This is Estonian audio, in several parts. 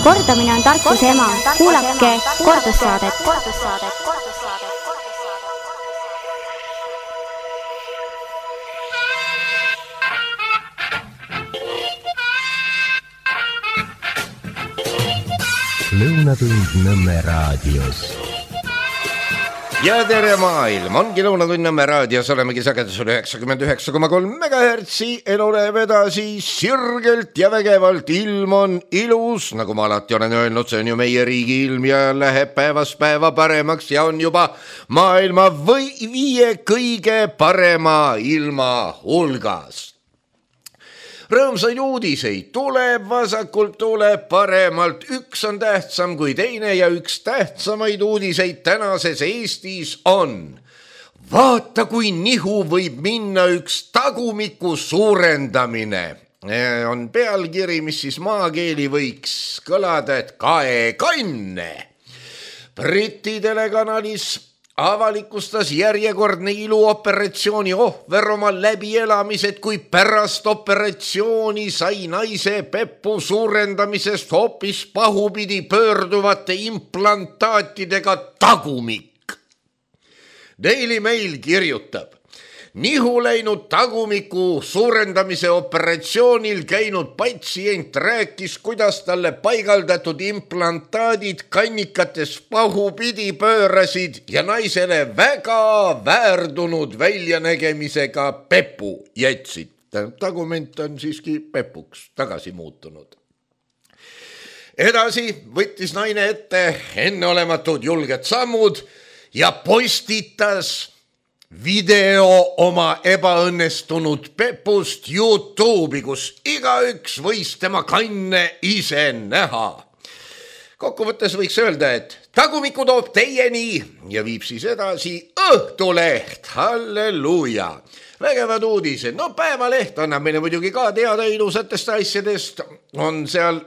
Kordamine on tarkuse ema. Kuulake kordussaadet. Lõunatund Nõmme raadios. Ja tere maailm, ongi Lõunatund Nõmme raadios, olemegi sagedusel 99,3 MHz, elu läheb edasi sirgelt ja vägevalt, ilm on ilus, nagu ma alati olen öelnud, see on ju meie riigi ilm ja läheb päevast päeva paremaks ja on juba maailma 5 kõige parema ilma hulgas. Rõõmsaid uudiseid tuleb vasakult, tuleb paremalt, üks on tähtsam kui teine ja üks tähtsamaid uudiseid tänases Eestis on. Vaata, kui nihu võib minna üks tagumiku suurendamine. On pealkiri, mis siis maakeeli võiks kõlada, et kaekanne. Briti telekanalis avalikustas järjekordne iluoperatsiooni ohver oma läbielamised, kui pärast operatsiooni sai naise pepu suurendamisest hoopis pahupidi pöörduvate implantaatidega tagumik. Daily Mail kirjutab, nihu läinud tagumiku suurendamise operatsioonil käinud patsient rääkis, kuidas talle paigaldatud implantaadid kannikates pahupidi pöörasid ja naisele väga väärdunud väljanägemisega pepu jätsid. Tagument on siiski pepuks tagasi muutunud. Edasi võttis naine ette enneolematud julged sammud ja postitas video oma ebaõnnestunud pepust YouTube'i, kus igaüks võis tema kanne ise näha. Kokkuvõttes võiks öelda, et tagumiku toob teieni ja viib siis edasi Õhtuleht. Halleluuja! Vägevad uudised. No Päevaleht annab meile muidugi ka teada ilusatest asjadest. On seal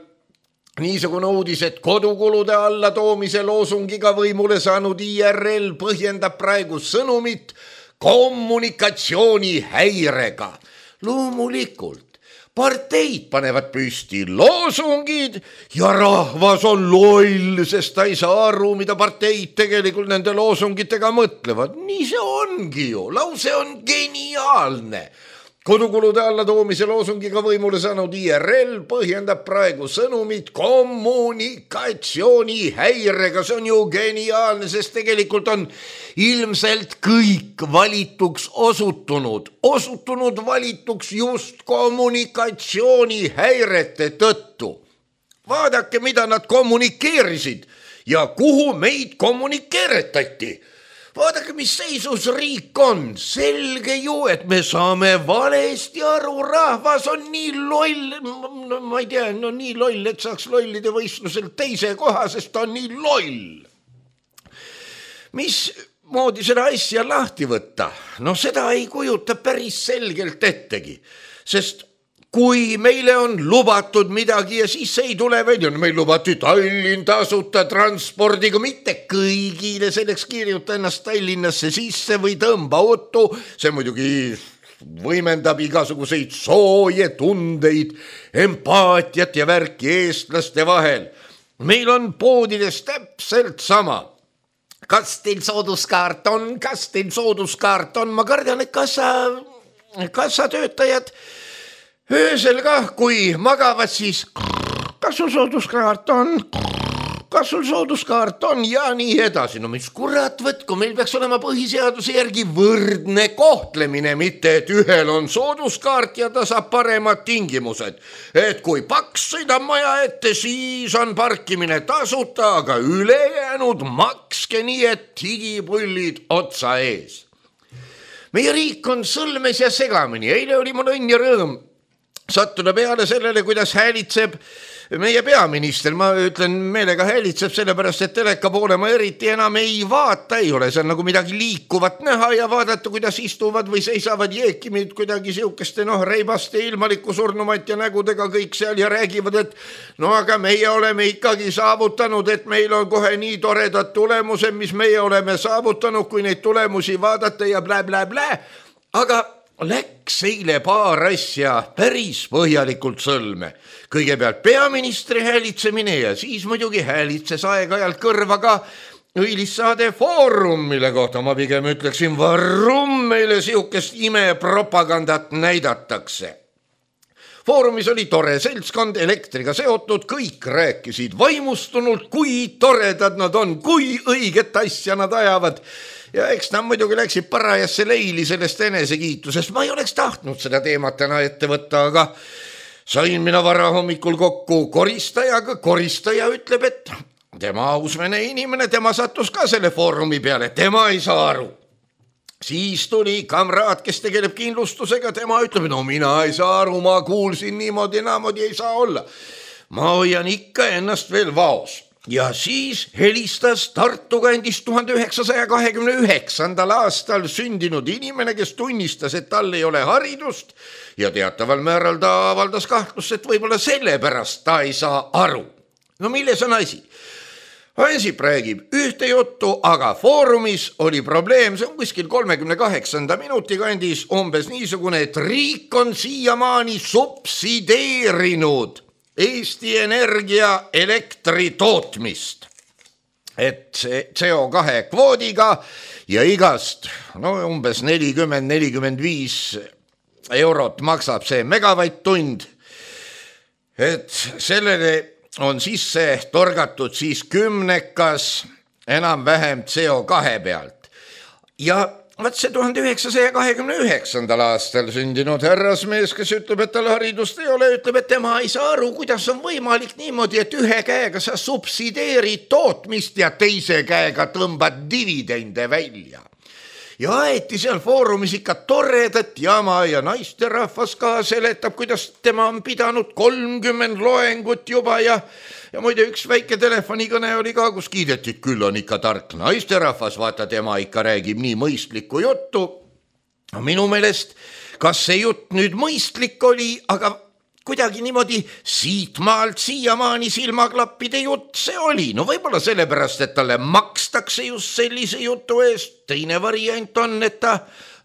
niisugune uudis, et kodukulude alla toomise loosungiga võimule saanud IRL põhjendab praegu sõnumit kommunikatsiooni häirega. Loomulikult, parteid panevad püsti loosungid ja rahvas on loll, sest ta ei saa aru, mida parteid tegelikult nende loosungitega mõtlevad. Nii see ongi ju, lause on geniaalne. Kodukulude alla toomise loosungiga võimule saanud IRL põhjendab praegu sõnumit kommunikatsiooni häirega. See on ju geniaalne, sest tegelikult on ilmselt kõik valituks osutunud valituks just kommunikatsiooni häirete tõttu. Vaadake, mida nad kommunikeerisid ja kuhu meid kommunikeeretati. Vaadake, mis seisus riik on. Selge ju, et me saame valesti aru. Rahvas on nii loll, no, ma ei tea, no nii loll, et saaks lollide võistlusel teise koha, sest ta on nii loll. Mis moodi seda asja lahti võtta? No seda ei kujuta päris selgelt ettegi, sest kui meile on lubatud midagi ja siis ei tule välja, meil lubati Tallinn tasuta transpordiga, mitte kõigile, selleks kirjuta ennast Tallinnasse sisse või tõmba otu, see muidugi võimendab igasuguseid sooje tundeid, empaatiat ja värki eestlaste vahel. Meil on poodides täpselt sama. Kas teil sooduskaart on? Ma kardan, et kassatöötajad öösel kah, kui magavad, siis kas sul sooduskaart on ja nii edasi. No mis kurat võtku, meil peaks olema põhiseaduse järgi võrdne kohtlemine, mitte et ühel on sooduskaart ja ta saab paremad tingimused. Et kui paks sõidab maja ette, siis on parkimine tasuta, aga ülejäänud makske nii, et higipullid otsa ees. Meie riik on sõlmes ja segamini. Eile oli mul õnn ja rõõm sattuda peale sellele, kuidas häälitseb meie peaminister. Ma ütlen meelega häälitseb, sellepärast et teleka poole ma eriti enam ei vaata, ei ole seal nagu midagi liikuvat näha ja vaadata, kuidas istuvad või seisavad jeekimid kuidagi siukeste reibaste ilmaliku surnumat ja nägudega kõik seal ja räägivad, et no aga meie oleme ikkagi saavutanud, et meil on kohe nii toredad tulemused, mis meie oleme saavutanud, kui neid tulemusi vaadata ja blä. Aga läks eile paar asja päris põhjalikult sõlme. Kõigepealt peaministri häälitsemine ja siis muidugi häälitses aeg-ajalt kõrva ka õilis saade Foorum, mille kohta ma pigem ütleksin, varrum meile sihukest imepropagandat näidatakse. Foorumis oli tore seltskond, elektriga seotud, kõik rääkisid vaimustunult, kui toredad nad on, kui õiget asja nad ajavad. Ja eks nad muidugi läksid parajasse leili sellest enesekiitusest. Ma ei oleks tahtnud seda teemat täna ette võtta, aga sain mina varahommikul kokku koristajaga. Koristaja ütleb, et tema ausmene inimene, tema sattus ka selle Foorumi peale, tema ei saa aru. Siis tuli kamraad, kes tegeleb kindlustusega, tema ütleb, no mina ei saa aru, ma kuulsin niimoodi, naamodi ei saa olla. Ma hoian ikka ennast veel vaos. Ja siis helistas Tartu kandis 1929. aastal sündinud inimene, kes tunnistas, et tal ei ole haridust ja teataval määral ta avaldas kahtlust, et võib-olla sellepärast ta ei saa aru. No milles on asi? Ansip räägib ühte juttu, aga Foorumis oli probleem, see on kuskil 38. minuti kandis umbes niisugune, et riik on siiamaani subsideerinud Eesti Energia elektri tootmist. Et see CO2 kvoodiga ja igast umbes 40-45 eurot maksab see megavatt-tund. Et sellele on sisse torgatud siis 10 enam-vähem CO2 pealt. Ja vaat see 1929. aastal sündinud härrasmees, kes ütleb, et tal haridust ei ole, ütleb, et tema ei saa aru, kuidas on võimalik niimoodi, et ühe käega sa subsideerid tootmist ja teise käega tõmbad dividende välja. Ja aeti seal Foorumis ikka toredat jama ja naisterahvas ka seletab, kuidas tema on pidanud 30 loengut juba ja muide üks väike telefonikõne oli ka, kus kiideti, küll on ikka tark naisterahvas, vaata tema ikka räägib nii mõistlikku juttu. Minu meelest, kas see jutt nüüd mõistlik oli, aga kuidagi niimoodi siitmaalt siiamaani silmaklappide jutt see oli. No võib-olla sellepärast, et talle makstakse just sellise jutu eest. Teine variant on, et ta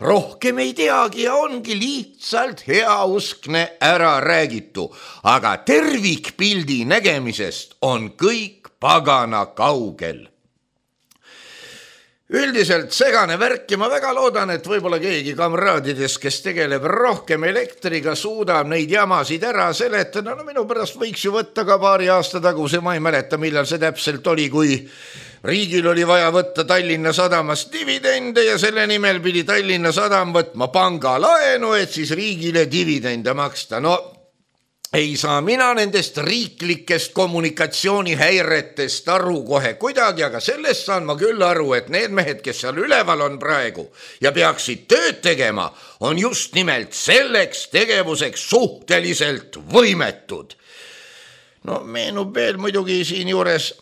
rohkem ei teagi ja ongi lihtsalt heauskne ära räägitu. Aga tervikpildi nägemisest on kõik pagana kaugel. Üldiselt segane värk ja ma väga loodan, et võib-olla keegi kamraadidest, kes tegeleb rohkem elektriga, suudab neid jamasid ära seletada. No minu pärast võiks ju võtta ka paari aasta taguse, ma ei mäleta, millal see täpselt oli, kui riigil oli vaja võtta Tallinna Sadamast dividende ja selle nimel pidi Tallinna Sadam võtma pangalaenu, et siis riigile dividende maksta. No ei saa mina nendest riiklikest kommunikatsioonihäiretest aru kohe kuidagi, aga sellest saan ma küll aru, et need mehed, kes seal üleval on praegu ja peaksid tööd tegema, on just nimelt selleks tegevuseks suhteliselt võimetud. No meenub veel muidugi siin juures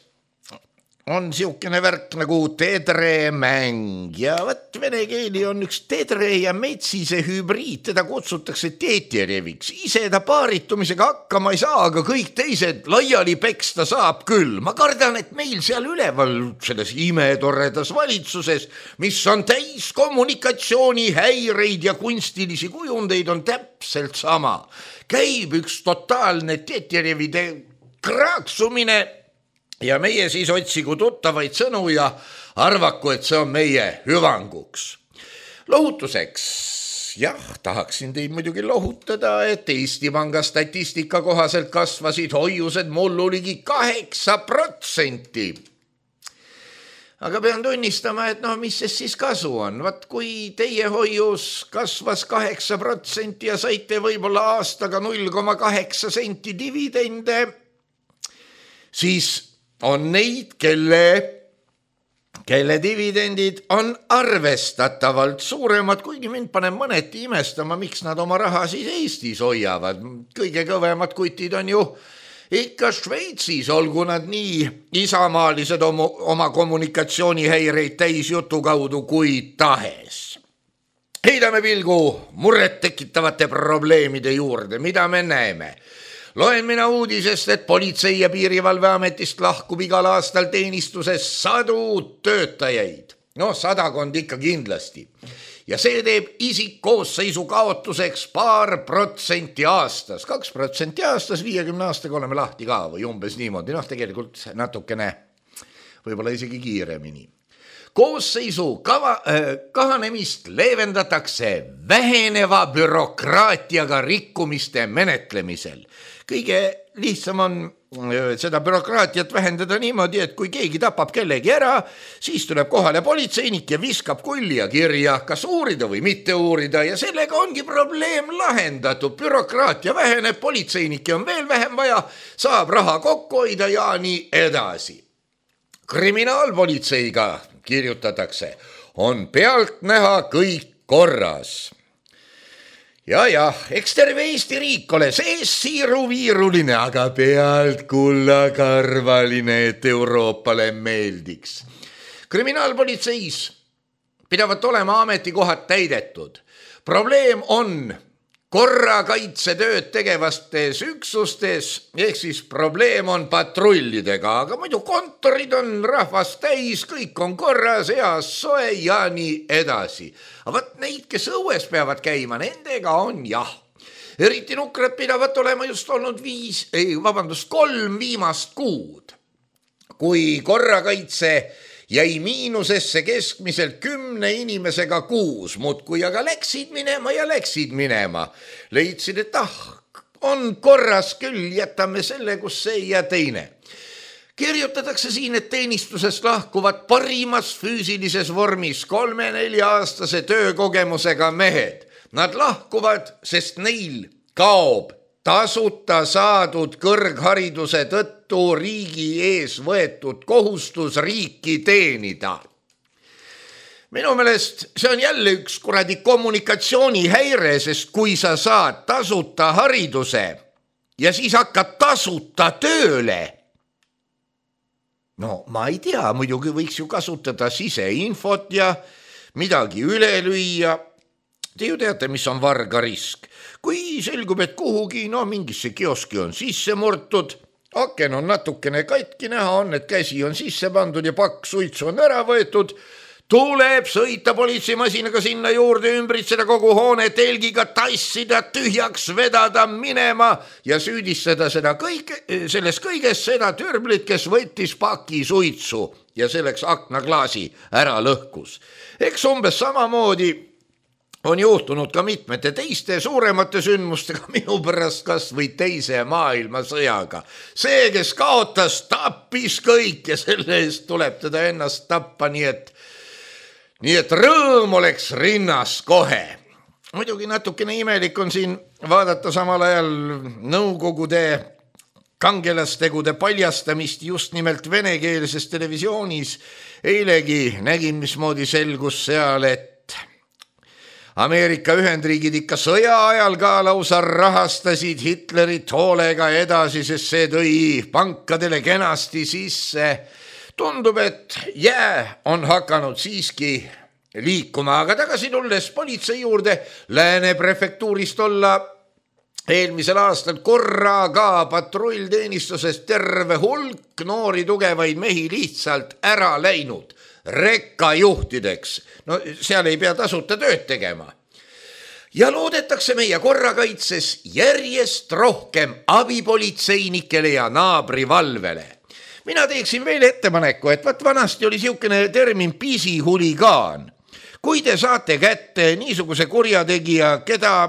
on siukene värk nagu tedremäng ja võt vene keeli on üks tedre ja metsise hübriid, teda kutsutakse Teetjereviks. Ise ta paaritumisega hakkama ei saa, aga kõik teised laiali peksta saab küll. Ma kardan, et meil seal üleval selles imetoredas valitsuses, mis on täis kommunikatsioonihäireid ja kunstilisi kujundeid, on täpselt sama. Käib üks totaalne Teetjerevide kraaksumine ja meie siis otsigu tuttavaid sõnu ja arvaku, et see on meie hüvanguks. Lohutuseks, jah, tahaksin teid muidugi lohutada, et Eesti Panga statistika kohaselt kasvasid hoiused mullu ligi 8%. Aga pean tunnistama, et mis siis kasu on? Vaat kui teie hoius kasvas 8% ja saite võib-olla aastaga 0,8 senti dividende, siis on neid, kelle dividendid on arvestatavalt suuremad, kuigi mind paneb mõneti imestama, miks nad oma raha siis Eestis hoiavad. Kõige kõvemad kutid on ju ikka Šveitsis, olgu nad nii isamaalised oma kommunikatsioonihäireid täisjutu kaudu kui tahes. Heidame pilgu muret tekitavate probleemide juurde, mida me näeme. Loen mina uudisest, et Politsei- ja Piirivalveametist lahkub igal aastal teenistuses 100 töötajaid. 100 ikka kindlasti. ja see teeb isikkoosseisu kaotuseks 2% aastas. 2% aastas 50 aastaga oleme lahti ka või umbes niimoodi. Noh, tegelikult natukene võib-olla isegi kiiremini. Koosseisu kahanemist leevendatakse väheneva bürokraatiaga rikkumiste menetlemisel. Kõige lihtsam on seda bürokraatiat vähendada niimoodi, et kui keegi tapab kellegi ära, siis tuleb kohale politseinik ja viskab kulli ja kirja, kas uurida või mitte uurida ja sellega ongi probleem lahendatud. Bürokraatia väheneb, politseinikke on veel vähem vaja, saab raha kokku hoida ja nii edasi. Kriminaalpolitseiga kirjutatakse, on pealt näha kõik korras. Ja, eks terve Eesti riik ole sees siiruviiruline, aga pealt kullakarvaline, et Euroopale meeldiks. Kriminaalpolitseis pidavat olema ametikohad täidetud. Probleem on korrakaitsetööd tegevastes üksustes, ehk siis probleem on patrullidega, aga muidu kontorid on rahvast täis, kõik on korras, heas soe ja nii edasi. Aga võt neid, kes õues peavad käima, nendega on jah. Eriti nukrad pidavat olema just olnud 3 viimast kuud, kui korrakaitse jäi miinusesse keskmiselt 10 inimesega kuus, muudkui aga läksid minema. Leidsid, et on korras küll, jätame selle, kus see ja teine. Kirjutatakse siin, et teenistusest lahkuvad parimas füüsilises vormis 3-4-aastase töökogemusega mehed. Nad lahkuvad, sest neil kaob tasuta saadud kõrghariduse tõttu riigi ees võetud kohustus riiki teenida. Minu meelest see on jälle üks kuradi kommunikatsioonihäire, sest kui sa saad tasuta hariduse ja siis hakkad tasuta tööle, no ma ei tea, muidugi võiks ju kasutada siseinfot ja midagi üle lüüa. Te ju teate, mis on vargarisk. Kui selgub, et kuhugi, mingisse kioski on sisse murtud, aken on natukene katki, näha on, et käsi on sisse pandud ja pakk suitsu on ära võetud, tuleb sõita politseimasinaga sinna juurde, ümbritseda kogu hoone telgiga, tassida, tühjaks vedada, minema ja süüdistada selles kõiges seda türblit, kes võttis paki suitsu ja selleks aknaklaasi ära lõhkus. Eks umbes samamoodi on juhtunud ka mitmete teiste suuremate sündmustega, minu pärast kas või teise maailmasõjaga. See, kes kaotas, tappis kõik ja selle eest tuleb teda ennast tappa, nii et rõõm oleks rinnas kohe. Muidugi natukene imelik on siin vaadata samal ajal Nõukogude kangelastegude paljastamist just nimelt venekeelses televisioonis. Eilegi nägin, mismoodi selgus seal, et Ameerika Ühendriigid ikka sõja ajal ka lausa rahastasid Hitlerit hoolega edasi, sest see tõi pankadele kenasti sisse. Tundub, et jää on hakanud siiski liikuma, aga tagasi tulles politsei juurde, Lääne prefektuurist olla eelmisel aastal korraga patrullteenistusest terve hulk noori tugevaid mehi lihtsalt ära läinud. Rekkajuhtideks. No seal ei pea tasuta tööd tegema. Ja loodetakse meie korrakaitses järjest rohkem abipolitseinikele ja naabrivalvele. Mina teeksin veel ettepaneku, et vanasti oli siukene termin pisihuligaan. Kui te saate kätte niisuguse kurjategija, keda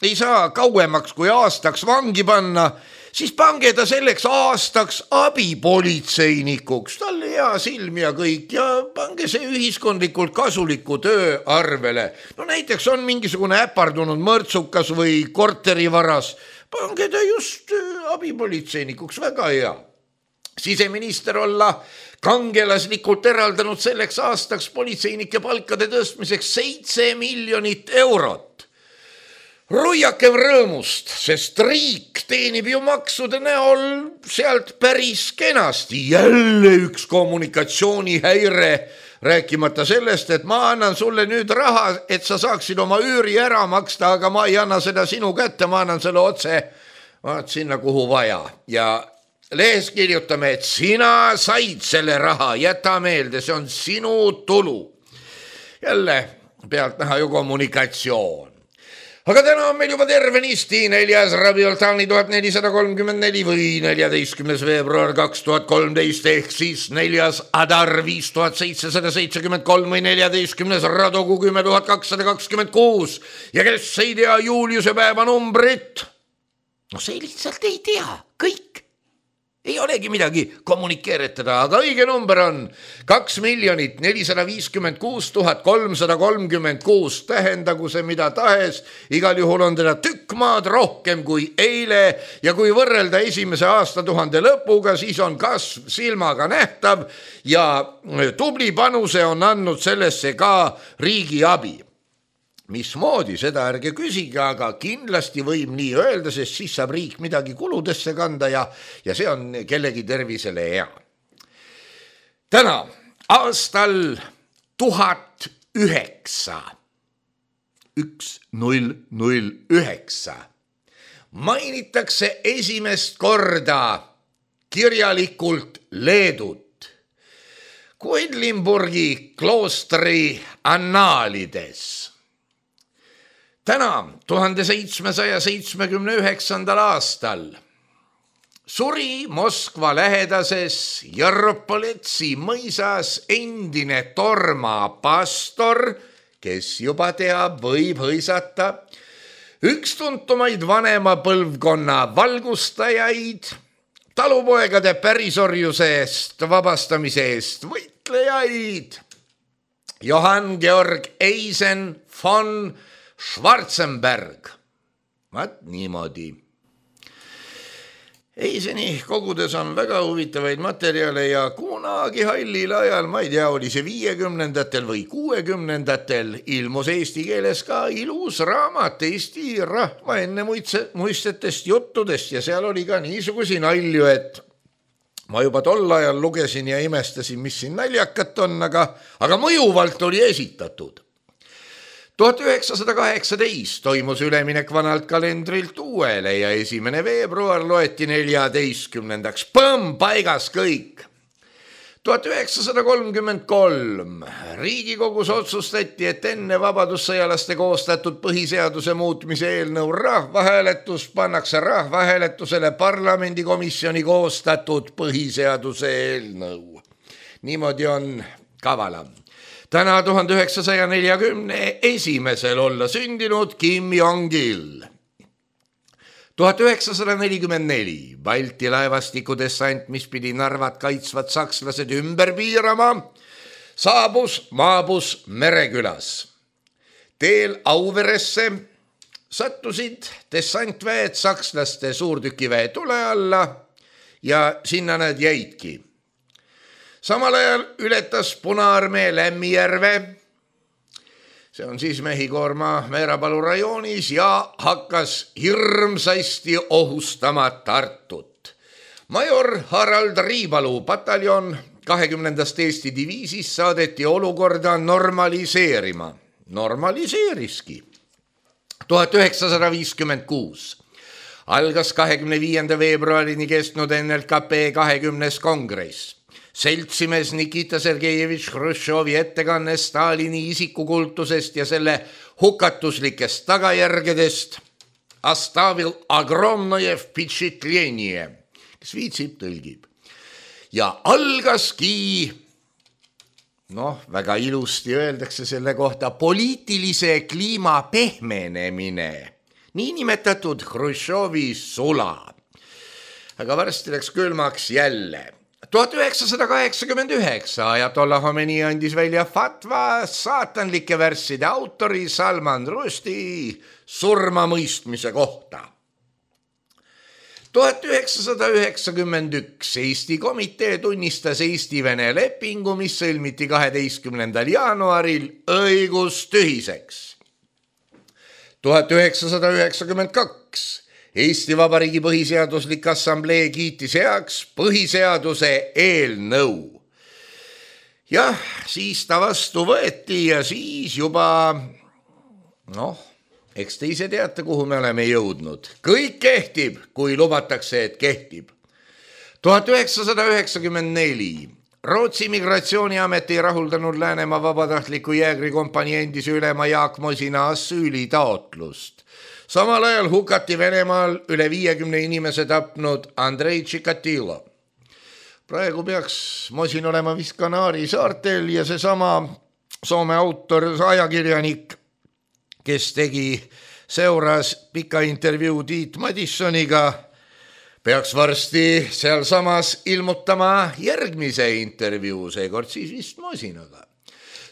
ei saa kauemaks kui aastaks vangi panna, siis pange ta selleks aastaks abipolitseinikuks, talle hea silm ja kõik ja pange see ühiskondlikult kasuliku töö arvele. No näiteks on mingisugune äpardunud mõrtsukas või korterivaras, pange ta just abipolitseinikuks, väga hea. Siseminister olla kangelaslikult eraldanud selleks aastaks politseinike palkade tõstmiseks 7 miljonit eurot. Ruiakem rõõmust, sest riik teenib ju maksude näol sealt päris kenasti. Jälle üks kommunikatsioonihäire, rääkimata sellest, et ma annan sulle nüüd raha, et sa saaksid oma üüri ära maksta, aga ma ei anna seda sinu kätte, ma annan selle otse sinna, kuhu vaja. Ja lehes kirjutame, et sina said selle raha, jäta meelde, see on sinu tulu. Jälle pealt näha ju kommunikatsioon. Aga täna on meil juba tervenisti 4. Rabioltani 1434 või 14. veebruar 2013 ehk siis 4. Adar 5773 või 14. Radogu 10226 ja kes ei tea Juliuse päeva numbrit, no see lihtsalt ei tea, kõik. Ei olegi midagi kommunikeeritada, aga õige number on 2 456 336, tähendagu see mida tahes, igal juhul on teda tükk maad rohkem kui eile ja kui võrrelda esimese aastatuhande lõpuga, siis on kasv silmaga nähtav ja tubli panuse on andnud sellesse ka riigi abi. Mismoodi, seda ärge küsige, aga kindlasti võib nii öelda, sest siis saab riik midagi kuludesse kanda ja see on kellegi tervisele hea. Täna aastal 1009 mainitakse esimest korda kirjalikult Leedut Quedlinburgi kloostri annaalides. Täna 1779. aastal suri Moskva lähedases Jarpoletsi mõisas endine torma pastor, kes juba teab, võib hõisata, üks tuntumaid vanema põlvkonna valgustajaid, talupoegade pärisorjusest vabastamise eest võitlejaid, Johann Georg Eisen von Schwarzenberg. Vaat niimoodi. Eiseni kogudes on väga huvitavaid materjale ja kunagi hallil ajal, ma ei tea, oli see 50-ndatel või 60-ndatel, ilmus eesti keeles ka ilus raamat Eesti rahva enne muistetest juttudest ja seal oli ka niisugusi nalju, et ma juba tol ajal lugesin ja imestasin, mis siin naljakat on, aga mõjuvalt oli esitatud. 1918 toimus üleminek vanalt kalendrilt uuele ja 1. veebruar loeti 14. Põmm, paigas kõik. 1933 Riigikogus otsustati, et enne vabadussõjalaste koostatud põhiseaduse muutmise eelnõu rahvahääletus pannakse rahvahääletusele parlamendikomisjoni koostatud põhiseaduse eelnõu. Niimoodi on kavalam. Täna 1941 olla sündinud Kim Jong-il. 1944 Balti laevastiku dessant, mis pidi Narvat kaitsvad sakslased ümber piirama, maabus Merekülas. Teel Auveresse sattusid dessantväed sakslaste suurtükiväe tule alla ja sinna nad jäidki. Samal ajal ületas Punaarmee Lämmijärve, see on siis Mehhikoorma Meerapalu rajoonis ja hakkas hirmsasti ohustama Tartut. Major Harald Riipalu pataljon 20. Eesti diviisis saadeti olukorda normaliseerima. Normaliseeriski. 1956 algas 25. veebruarini kestnud NLKP 20. kongress. Seltsimees Nikita Sergejevitš Hruštšovi ettekanne Stalini isikukultusest ja selle hukatuslikest tagajärgedest Astavil Agromnoje vpitšitljenje, kes viitsib, tõlgib. Ja algaski, väga ilusti öeldakse selle kohta, poliitilise kliima pehmenemine, niinimetatud Hruštšovi sula. Aga varsti läks külmaks jälle. 1989 Ajatollah Khomeini andis välja fatva saatanlike värsside autori Salman Rushdie surmamõistmise kohta. 1991 Eesti komitee tunnistas Eesti-Vene lepingu, mis sõlmiti 12. jaanuaril õigustühiseks. 1992 Eesti Vabariigi Põhiseaduslik Assamblee kiitis heaks põhiseaduse eelnõu. Jah, siis ta vastu võeti ja siis juba, eks te ise teate, kuhu me oleme jõudnud. Kõik kehtib, kui lubatakse, et kehtib. 1994 Rootsi migratsiooniameti rahuldanud Läänemaa vabatahtliku jäägrikompanii endise ülema Jaak Mosina asüülitaotlust. Samal ajal hukati Venemaal üle 50 inimese tapnud Andrei Chikatilo. Praegu peaks Mosin olema vist Kanaari saartel ja seesama Soome autor, ajakirjanik, kes tegi Seuras pika intervjuu Tiit Madissoniga, peaks varsti sealsamas ilmutama järgmise intervjuu, seekord siis vist Mosinaga.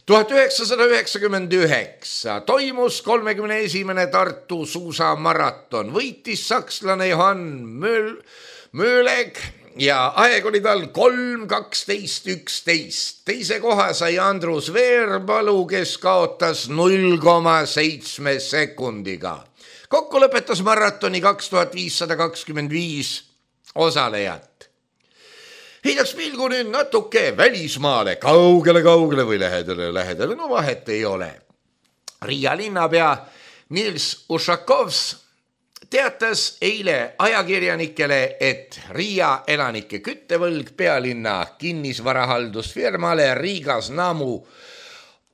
1999 toimus 31. Tartu suusamaraton, võitis sakslane Johann Mööleg ja aeg oli tal 3:12:11. Teise koha sai Andrus Veerpalu, kes kaotas 0,7 sekundiga. Kokku lõpetas maratoni 2525 osalejat. Heidaks pilgu nüüd natuke välismaale, kaugele või lähedale, no vahet ei ole. Riia linnapea Nils Ušakovs teatas eile ajakirjanikele, et Riia elanike küttevõlg pealinna kinnisvarahaldusfirmale Rigasnamu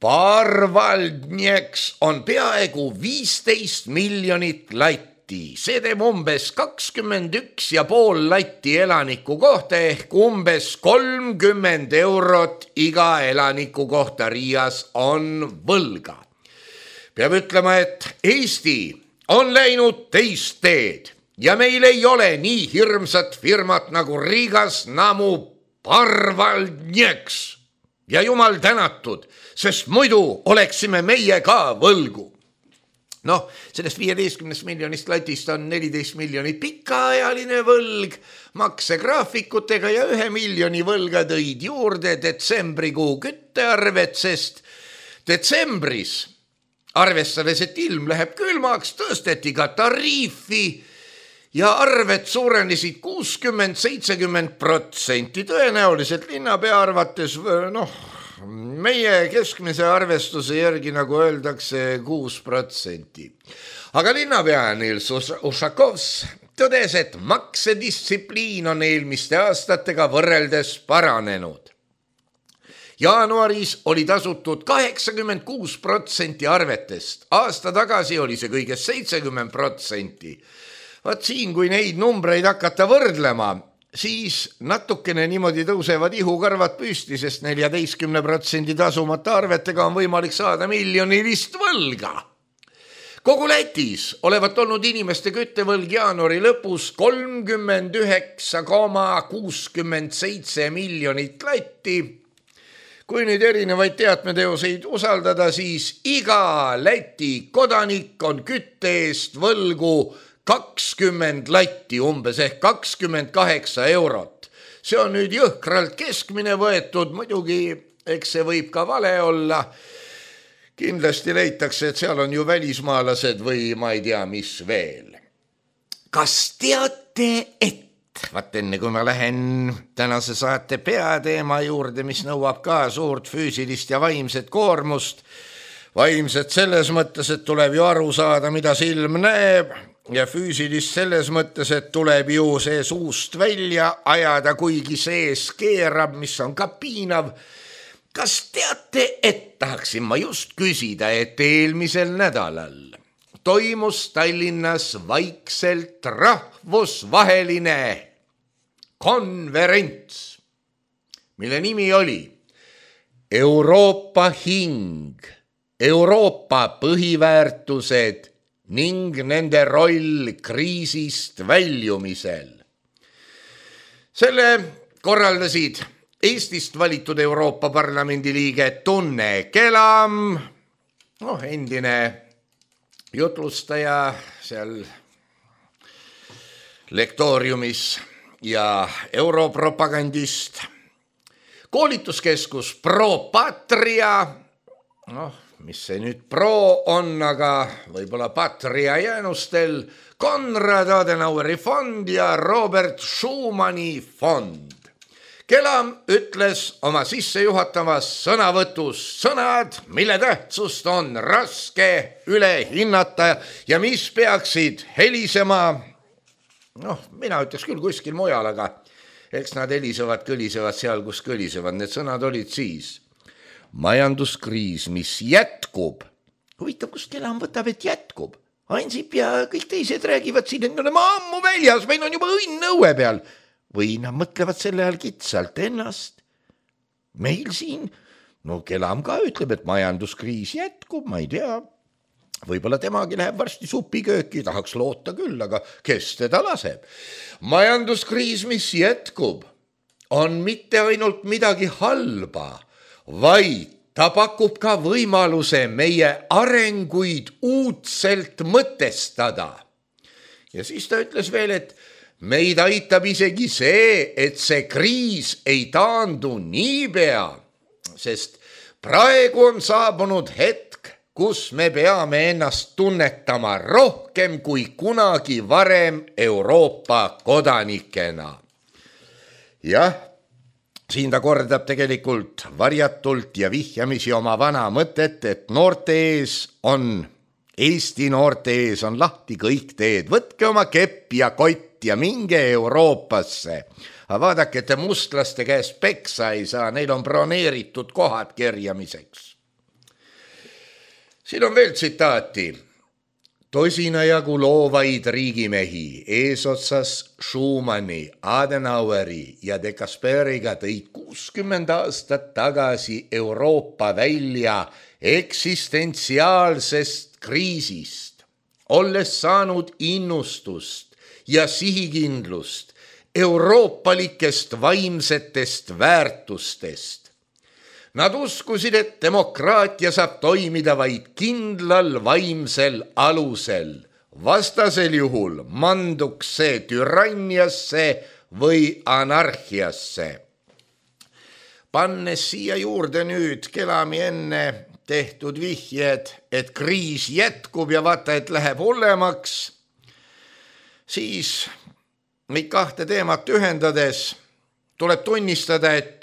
Parvaldnieks on peaaegu 15 miljonit latti. See teeb umbes 21,5 latti elaniku kohta ehk umbes 30 eurot iga elaniku kohta Riias on võlga. Peab ütlema, et Eesti on läinud teist teed ja meil ei ole nii hirmsat firmat nagu Rigasnamu Parvaldnieks. Ja jumal tänatud, sest muidu oleksime meie ka võlgu. Noh, sellest 15 miljonist latist on 14 miljonit pikaajaline võlg, maksegraafikutega ja 1 miljoni võlga tõid juurde detsembrikuu küttearvet, sest detsembris, arvestades, et ilm läheb külmaks, tõsteti ka tariifi ja arved suurenesid 60-70%. Tõenäoliselt linnapea arvates, meie keskmise arvestuse järgi, nagu öeldakse, 6%. Aga linnapea Nils Ušakovs tõdes, et maksedistsipliin on eelmiste aastatega võrreldes paranenud. Jaanuaris oli tasutud 86% arvetest, aasta tagasi oli see kõigest 70%. Vaat siin, kui neid numbreid hakata võrdlema, siis natukene niimoodi tõusevad ihukarvad püsti, sest 14% tasumata arvetega on võimalik saada miljonilist võlga. Kogu Lätis olevat olnud inimeste küttevõlg jaanuari lõpus 39,67 miljonit latti. Kui nüüd erinevaid teatmeteoseid usaldada, siis iga Läti kodanik on kütte eest võlgu 20 latti umbes ehk 28 eurot. See on nüüd jõhkralt keskmine võetud, muidugi eks see võib ka vale olla. Kindlasti leitakse, et seal on ju välismaalased või ma ei tea, mis veel. Kas teate, et vaat enne kui ma lähen tänase saate peateema juurde, mis nõuab ka suurt füüsilist ja vaimset koormust, vaimset selles mõttes, et tuleb ju aru saada, mida silm näeb, ja füüsilist selles mõttes, et tuleb ju see suust välja ajada, kuigi sees keerab, mis on ka piinav. Kas teate, et tahaksin ma just küsida, et eelmisel nädalal toimus Tallinnas vaikselt rahvusvaheline konverents, mille nimi oli Euroopa hing, Euroopa põhiväärtused ning nende roll kriisist väljumisel. Selle korraldasid Eestist valitud Euroopa Parlamendi liige Tunne Kelam, endine jutlustaja seal lektooriumis ja europropagandist, koolituskeskus Pro Patria, mis see nüüd pro on, aga võib-olla Patria jäänustel, Konrad Adenaueri fond ja Robert Schumanni fond. Kelam ütles oma sissejuhatavas sõnavõtus sõnad, mille tähtsust on raske üle hinnata ja mis peaksid helisema, mina ütleks küll kuskil mujal, aga eks nad helisevad, kõlisevad seal, kus kõlisevad. Need sõnad olid siis majanduskriis, mis jätkub. Huvitav, kust Kelam võtab, et jätkub? Ansip ja kõik teised räägivad siin, et me oleme ammu väljas, meil on juba õnn õue peal. Või nad mõtlevad selle ajal kitsalt ennast. Meil siin, no Kelam ka ütleb, et majanduskriis jätkub, ma ei tea. Võib-olla temagi läheb varsti supikööki, tahaks loota küll, aga kes teda laseb? Majanduskriis, mis jätkub, on mitte ainult midagi halba, vaid ta pakub ka võimaluse meie arenguid uudselt mõtestada. Ja siis ta ütles veel, et meid aitab isegi see, et see kriis ei taandu niipea, sest praegu on saabunud hetk, kus me peame ennast tunnetama rohkem kui kunagi varem Euroopa kodanikena. Jah, siin ta kordab tegelikult varjatult ja vihjamisi oma vana mõtet, et Eesti noorte ees on lahti kõik teed. Võtke oma kepp ja kott ja minge Euroopasse. Aga vaadake, te mustlaste käest peksa ei saa, neil on broneeritud kohad kerjamiseks. Siin on veel tsitaati. Tosina jagu loovaid riigimehi eesotsas Schumanni, Adenaueri ja De Gasperiga tõid 60 aastat tagasi Euroopa välja eksistentsiaalsest kriisist, olles saanud innustust ja sihikindlust euroopalikest vaimsetest väärtustest. Nad uskusid, et demokraatia saab toimida vaid kindlal vaimsel alusel. Vastasel juhul manduks see türanniasse või anarhiasse. Pannes siia juurde nüüd Kelami enne tehtud vihjed, et kriis jätkub ja vaata, et läheb hullemaks, siis meid kahte teemat ühendades tuleb tunnistada, et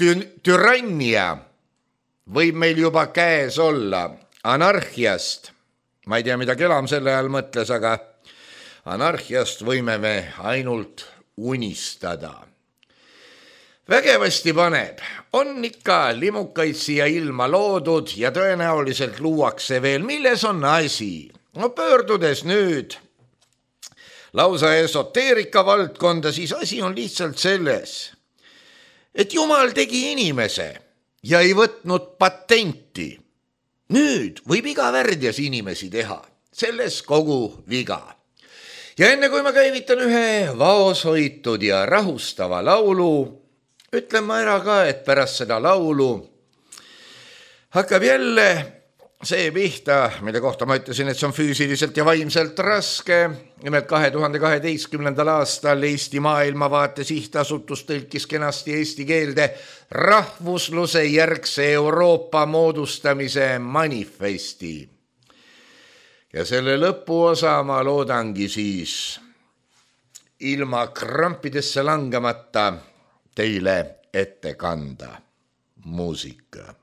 türannia võib meil juba käes olla. Anarhiast, ma ei tea, mida Kelam selle ajal mõtles, aga anarhiast võime me ainult unistada. Vägevasti paneb, on ikka limukaid siia ilma loodud ja tõenäoliselt luuakse veel, milles on asi. No pöördudes nüüd lausa esoteerika valdkonda, siis asi on lihtsalt selles, et Jumal tegi inimese ja ei võtnud patenti. Nüüd võib iga värdjas inimesi teha, selles kogu viga. Ja enne kui ma käivitan ühe vaoshoitud ja rahustava laulu, ütlen ma ära ka, et pärast seda laulu hakkab jälle see pihta, mille kohta ma ütlesin, et see on füüsiliselt ja vaimselt raske. Nimelt 2012. aastal Eesti Maailmavaate Sihtasutus tõlkis kenasti eesti keelde rahvusluse järgse Euroopa moodustamise manifesti. Ja selle lõpuosa ma loodangi siis ilma krampidesse langemata teile ette kanda. Muusika.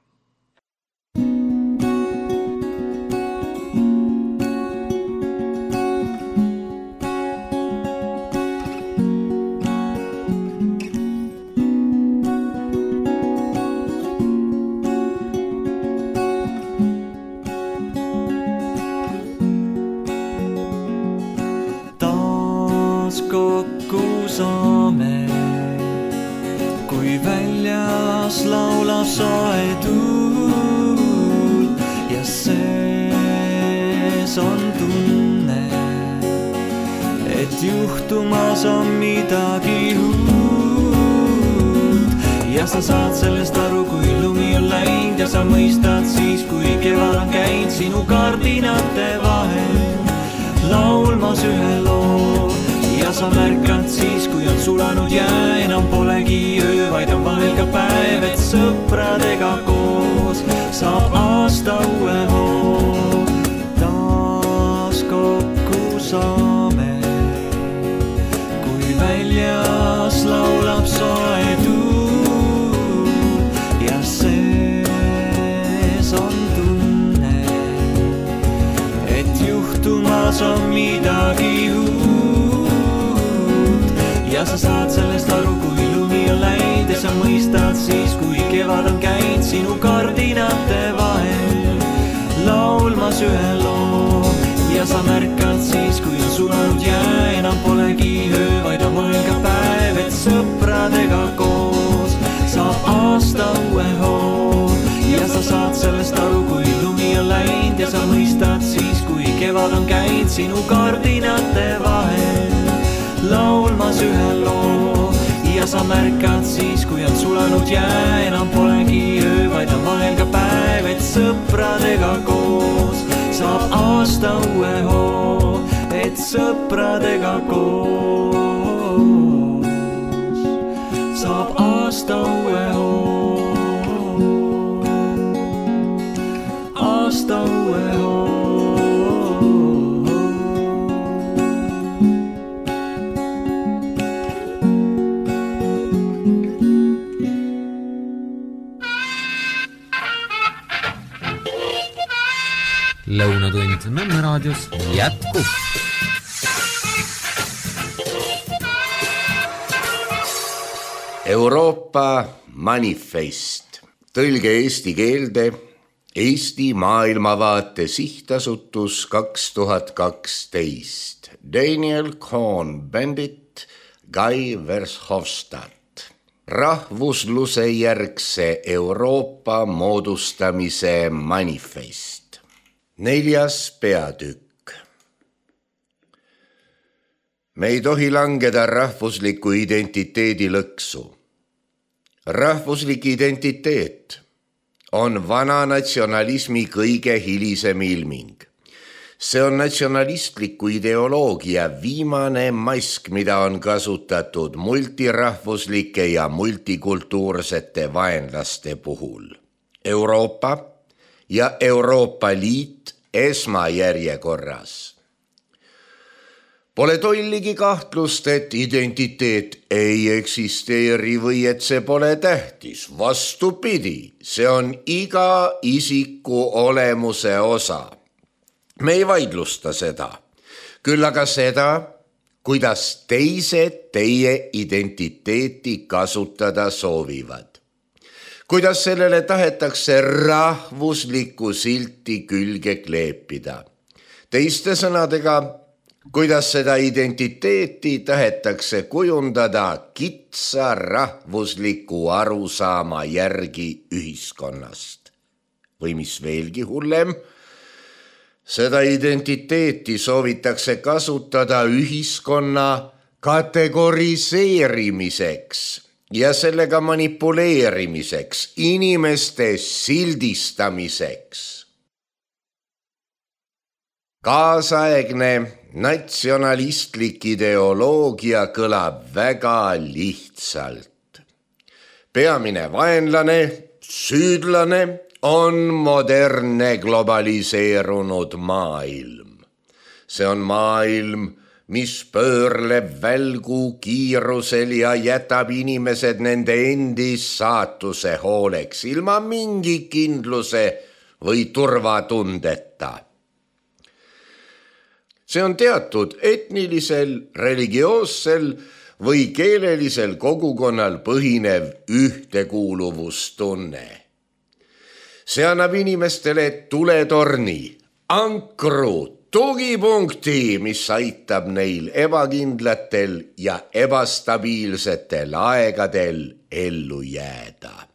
Laulab soe tuul ja sees on tunne, et juhtumas on midagi uut. Ja sa saad sellest aru, kui lumi on läinud ja sa mõistad siis, kui kevad on käinud sinu kardinate vahel laulmas ühe loo. Ja sa märkad siis, kui on sulanud jää, enam polegi öö, vaid on vahel ka päev, et sõpradega koos saab aasta uue hoo. Taas kokku saame, kui väljas laulab soe tuul ja sees on tunne, et juhtumas on midagi uut. Ja sa saad sellest aru, kui lumi on laulmas ühe loo ja sa märkad siis, kui on sulanud jää, enam polegi öö, vaid on mõelga päev, et sõpradega koos saab aasta uue hoo ja sa saad sellest aru, kui lumi on läinud ja sa mõistad siis, kui kevad on käinud sinu kardinate vahel laulmas ühe loo ja sa märkad siis, kui on sulanud jää, enam polegi öö, vaid on vahel ka päev, et sõpradega koos saab aasta uue hoo, et sõpradega koos saab aasta uue hoo, aasta uue hoo. Lõunatund Nõmme raadios jätkub. Euroopa manifest. Tõlge eesti keelde Eesti maailmavaate sihtasutus 2012. Daniel Cohn-Bendit, Guy Verhofstadt. Rahvusluse järgse Euroopa moodustamise manifest. 4. peatükk. Me ei tohi langeda rahvusliku identiteedi lõksu. Rahvuslik identiteet on vana natsionalismi kõige hilisem ilming. See on natsionalistliku ideoloogia viimane mask, mida on kasutatud multirahvuslike ja multikultuursete vaenlaste puhul. Euroopa ja Euroopa Liit esmajärjekorras. Pole tolligi kahtlust, et identiteet ei eksisteeri või et see pole tähtis. Vastupidi, see on iga isiku olemuse osa. Me ei vaidlusta seda, küll aga seda, kuidas teised teie identiteeti kasutada soovivad. Kuidas sellele tahetakse rahvuslikku silti külge kleepida. Teiste sõnadega, kuidas seda identiteeti tahetakse kujundada kitsa rahvusliku arusaama järgi ühiskonnast. Või mis veelgi hullem, seda identiteeti soovitakse kasutada ühiskonna kategoriseerimiseks ja sellega manipuleerimiseks, inimeste sildistamiseks. Kaasaegne natsionalistlik ideoloogia kõlab väga lihtsalt. Peamine vaenlane, süüdlane on modernne globaliseerunud maailm. See on maailm, mis pöörleb välgu kiirusel ja jätab inimesed nende endis saatuse hooleks ilma mingi kindluse või turvatundeta. See on teatud etnilisel, religioossel või keelelisel kogukonnal põhinev ühtekuuluvustunne. See annab inimestele tuletorni, ankru, tugipunkti, mis aitab neil ebakindlatel ja ebastabiilsetel aegadel ellu jääda.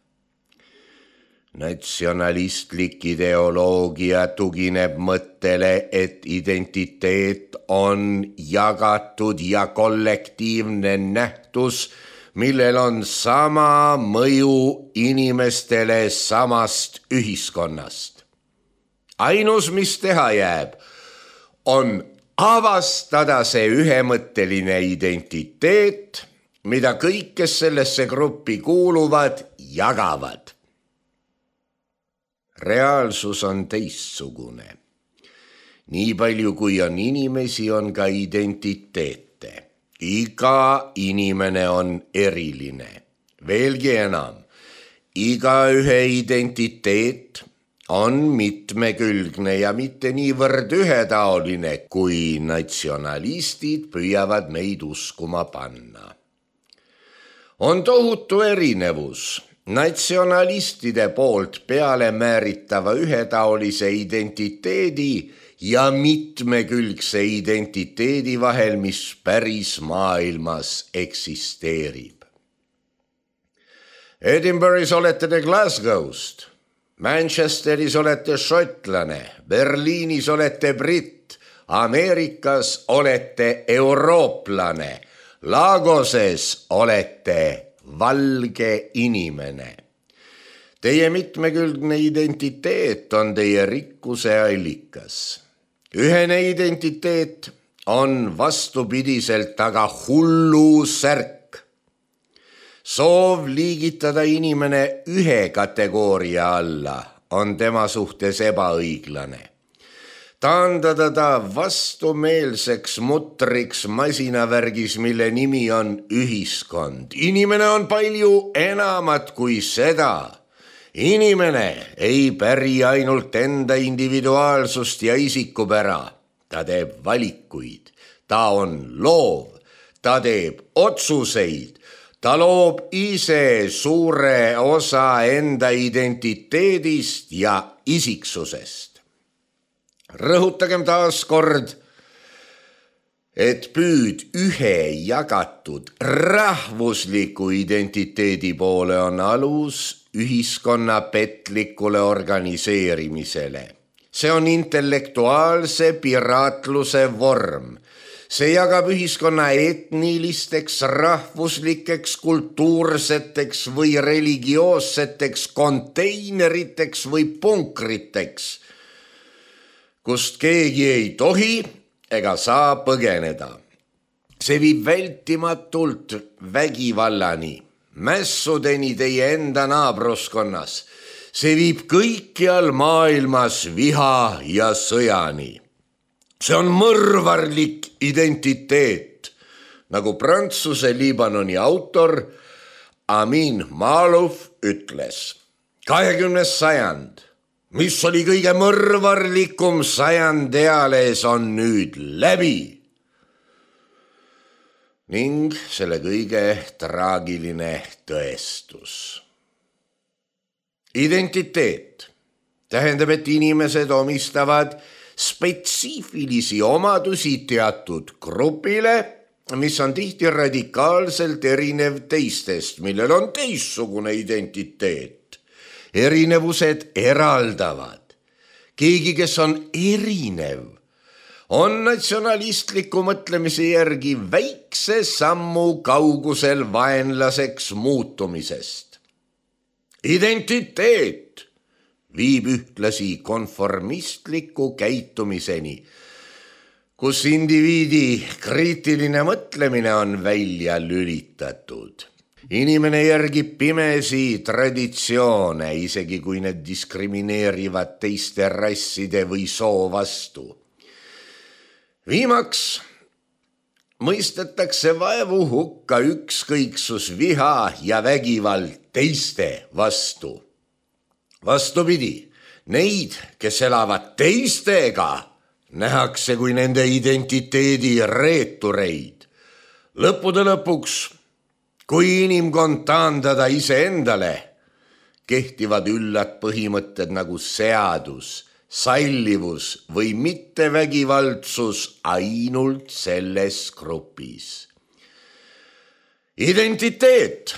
Natsionalistlik ideoloogia tugineb mõttele, et identiteet on jagatud ja kollektiivne nähtus, millel on sama mõju inimestele samast ühiskonnast. Ainus, mis teha jääb, on avastada see ühemõtteline identiteet, mida kõik, kes sellesse gruppi kuuluvad, jagavad. Reaalsus on teistsugune. Nii palju kui on inimesi, on ka identiteete. Iga inimene on eriline. Veelgi enam, igaühe identiteet on mitmekülgne ja mitte niivõrd ühetaoline, kui natsionalistid püüavad meid uskuma panna. On tohutu erinevus natsionalistide poolt peale määritava ühetaolise identiteedi ja mitmekülgse identiteedi vahel, mis päris maailmas eksisteerib. Edinburghis olete te Glasgow'st, Manchesteris olete šotlane, Berliinis olete britt, Ameerikas olete eurooplane, Lagoses olete valge inimene. Teie mitmekülgne identiteet on teie rikkuse allikas. Ühene identiteet on vastupidiselt aga hullu särk. Soov liigitada inimene ühe kategooria alla on tema suhtes ebaõiglane. Taandada ta vastumeelseks mutriks masinavärgis, mille nimi on ühiskond. Inimene on palju enamat kui seda. Inimene ei päri ainult enda individuaalsust ja isikupära. Ta teeb valikuid, ta on loov, ta teeb otsuseid, ta loob ise suure osa enda identiteedist ja isiksusest. Rõhutagem taas kord, et püüd ühe jagatud rahvusliku identiteedi poole on alus ühiskonna petlikule organiseerimisele. See on intellektuaalse piraatluse vorm. See jagab ühiskonna etnilisteks, rahvuslikeks, kultuurseteks või religioosseteks konteineriteks või punkriteks, kust keegi ei tohi ega saa põgeneda. See viib vältimatult vägivallani, mässudeni teie enda naabruskonnas. See viib kõikjal maailmas viha ja sõjani. See on mõrvarlik identiteet, nagu Prantsuse Liibanoni autor Amin Malouf ütles. 20. sajand, mis oli kõige mõrvarlikum sajand eales, on nüüd läbi. Ning selle kõige traagiline tõestus. Identiteet tähendab, et inimesed omistavad spetsiifilisi omadusi teatud grupile, mis on tihti radikaalselt erinev teistest, millel on teistsugune identiteet. Erinevused eraldavad. Keegi, kes on erinev, on natsionalistliku mõtlemise järgi väikse sammu kaugusel vaenlaseks muutumisest. Identiteet viib ühtlasi konformistliku käitumiseni, kus indiviidi kriitiline mõtlemine on välja lülitatud. Inimene järgib pimesi traditsioone, isegi kui need diskrimineerivad teiste rasside või soo vastu. Viimaks mõistetakse vaevu hukka ükskõiksus, viha ja vägivald teiste vastu. Vastupidi, neid, kes elavad teistega, nähakse kui nende identiteedi reetureid. Lõppude lõpuks, kui inimkond taandada iseendale, kehtivad üllad põhimõtted nagu seadus, sallivus või mittevägivaldsus ainult selles grupis. Identiteet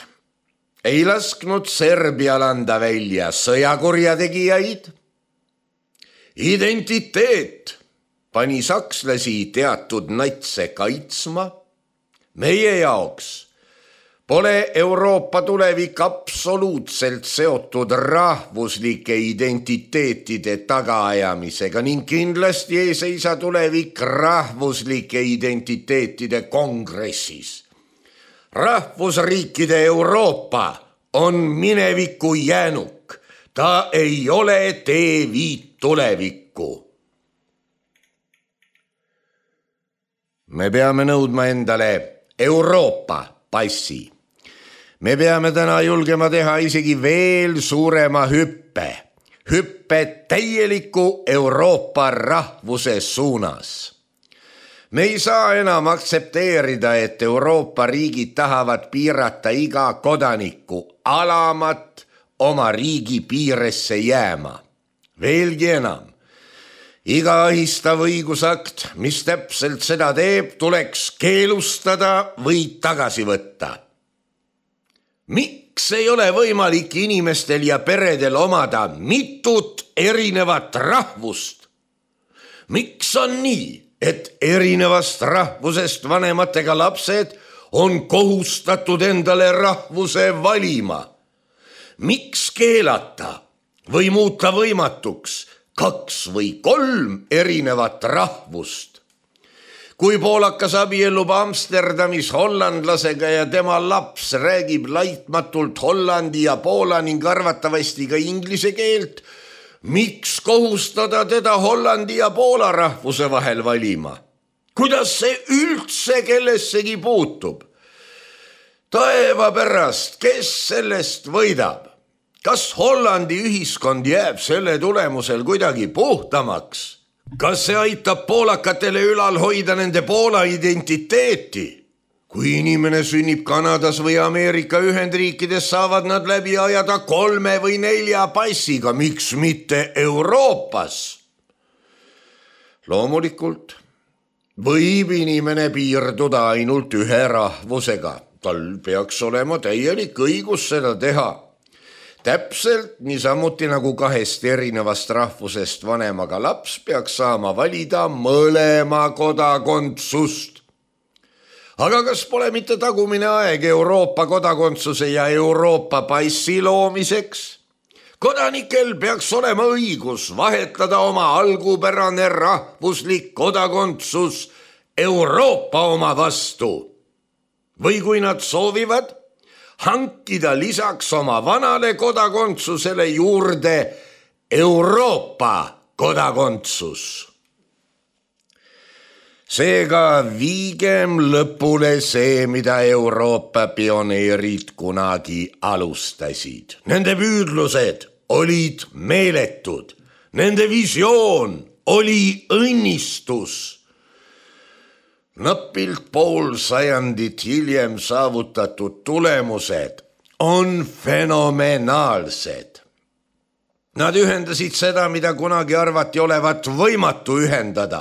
ei lasknud Serbial anda välja sõjakurjategijaid. Identiteet pani sakslasi teatud natse kaitsma. Meie jaoks pole Euroopa tulevik absoluutselt seotud rahvuslike identiteetide tagaajamisega ning kindlasti ei seisa tulevik rahvuslike identiteetide kongressis. Rahvusriikide Euroopa on mineviku jäänuk. Ta ei ole teeviit tulevikku. Me peame nõudma endale Euroopa passi. Me peame täna julgema teha isegi veel suurema hüppe täieliku Euroopa rahvuse suunas. Me ei saa enam aktsepteerida, et Euroopa riigid tahavad piirata iga kodaniku alamat oma riigi piiresse jääma. Veelgi enam, iga ahistav õigusakt, mis täpselt seda teeb, tuleks keelustada või tagasi võtta. Miks ei ole võimalik inimestel ja peredel omada mitut erinevat rahvust? Miks on nii, et erinevast rahvusest vanematega lapsed on kohustatud endale rahvuse valima? Miks keelata või muuta võimatuks 2 või 3 erinevat rahvust? Kui poolakas abiellub Amsterdamis hollandlasega ja tema laps räägib laitmatult hollandi ja poola ning arvatavasti ka inglise keelt, miks kohustada teda hollandi ja poola rahvuse vahel valima? Kuidas see üldse kellessegi puutub? Taeva pärast, kes sellest võidab? Kas Hollandi ühiskond jääb selle tulemusel kuidagi puhtamaks? Kas see aitab poolakatele ülal hoida nende Poola identiteeti? Kui inimene sünnib Kanadas või Ameerika Ühendriikides, saavad nad läbi ajada 3 või 4 passiga, miks mitte Euroopas? Loomulikult võib inimene piirduda ainult ühe rahvusega. Tal peaks olema täielik õigus seda teha. Täpselt niisamuti nagu 2 erinevast rahvusest vanemaga laps peaks saama valida mõlema kodakondsust. Aga kas pole mitte tagumine aeg Euroopa kodakondsuse ja Euroopa passi loomiseks? Kodanikel peaks olema õigus vahetada oma algupärane rahvuslik kodakondsus Euroopa oma vastu. Või kui nad soovivad, hankida lisaks oma vanale kodakondsusele juurde Euroopa kodakondsus. Seega viigem lõpule see, mida Euroopa pioneerid kunagi alustasid. Nende püüdlused olid meeletud, nende visioon oli õnnistus. Napilt pool sajandit hiljem saavutatud tulemused on fenomenaalsed. Nad ühendasid seda, mida kunagi arvati olevat võimatu ühendada.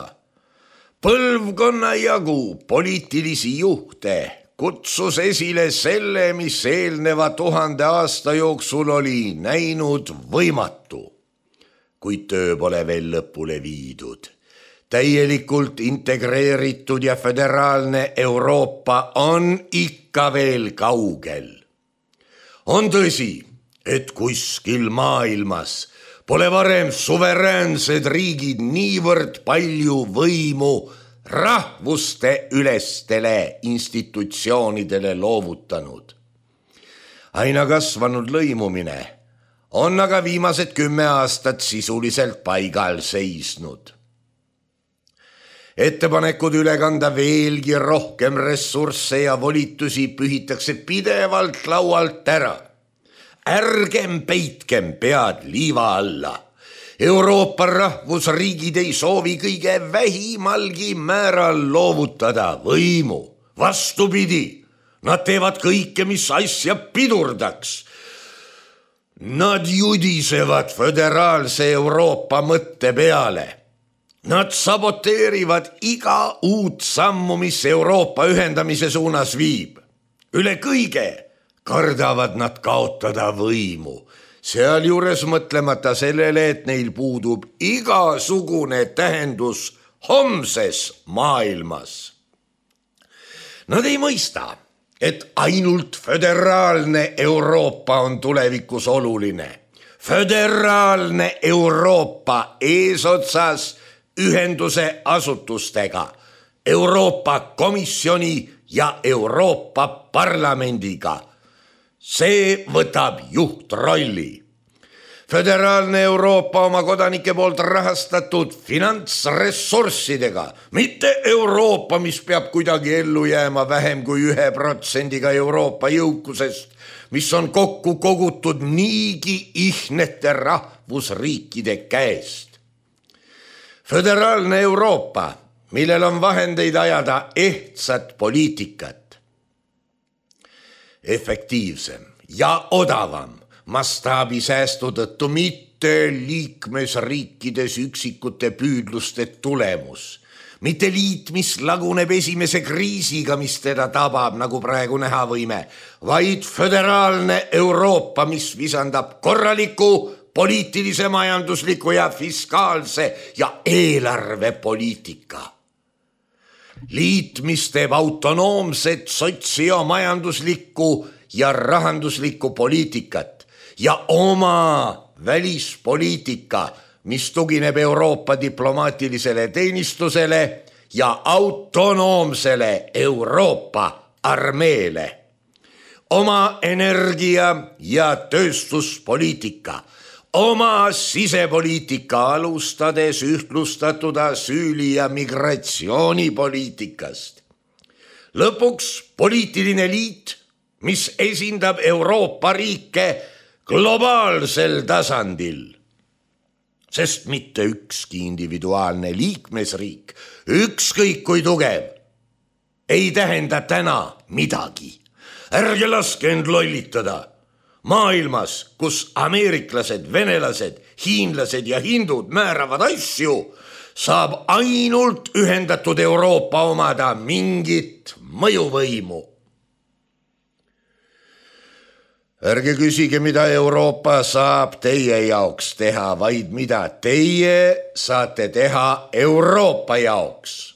Põlvkonna jagu poliitilisi juhte kutsus esile selle, mis eelneva 1000 aasta jooksul oli näinud võimatu, kuid töö pole veel lõpule viidud. Täielikult integreeritud ja föderaalne Euroopa on ikka veel kaugel. On tõsi, et kuskil maailmas pole varem suveräänsed riigid niivõrd palju võimu rahvuste ülestele institutsioonidele loovutanud. Aina kasvanud lõimumine on aga viimased 10 aastat sisuliselt paigal seisnud. Ettepanekud üle kanda veelgi rohkem ressursse ja volitusi pühitakse pidevalt laualt ära. Ärgem peitkem pead liiva alla. Euroopa rahvusriigid ei soovi kõige vähimalgi määral loovutada võimu. Vastupidi, nad teevad kõike, mis asja pidurdaks. Nad judisevad föderaalse Euroopa mõtte peale. Nad saboteerivad iga uut sammu, mis Euroopa ühendamise suunas viib. Üle kõige kardavad nad kaotada võimu, sealjuures mõtlemata sellele, et neil puudub igasugune tähendus homses maailmas. Nad ei mõista, et ainult föderaalne Euroopa on tulevikus oluline. Föderaalne Euroopa eesotsas ühenduse asutustega, Euroopa Komisjoni ja Euroopa Parlamendiga. See võtab juhtrolli. Föderaalne Euroopa oma kodanike poolt rahastatud finantsressurssidega, mitte Euroopa, mis peab kuidagi ellu jääma vähem kui 1% Euroopa jõukusest, mis on kokku kogutud niigi ihnete rahvusriikide käest. Föderaalne Euroopa millel on vahendeid ajada ehtsat poliitikat. Efektiivsem ja odavam mastaabisäästu tõttu mitte liikmesriikides üksikute püüdluste tulemus, mitte liit, mis laguneb esimese kriisiga, mis teda tabab, nagu praegu näha võime, vaid föderaalne Euroopa, mis visandab korraliku poliitilise, majandusliku ja fiskaalse ja eelarvepoliitika. Liit, mis teeb autonoomset sotsiomajanduslikku ja rahanduslikku poliitikat ja oma välispoliitika, mis tugineb Euroopa diplomaatilisele teenistusele ja autonoomsele Euroopa armeele. Oma energia ja tööstuspoliitika, oma sisepoliitika alustades ühtlustatud asüüli- ja migratsioonipoliitikast. Lõpuks poliitiline liit, mis esindab Euroopa riike globaalsel tasandil. Sest mitte ükski individuaalne liikmesriik, ükskõik kui tugev, ei tähenda täna midagi. Ärge laske end lollitada. Maailmas, kus ameeriklased, venelased, hiinlased ja hindud määravad asju, saab ainult ühendatud Euroopa omada mingit mõjuvõimu. Ärge küsige, mida Euroopa saab teie jaoks teha, vaid mida teie saate teha Euroopa jaoks.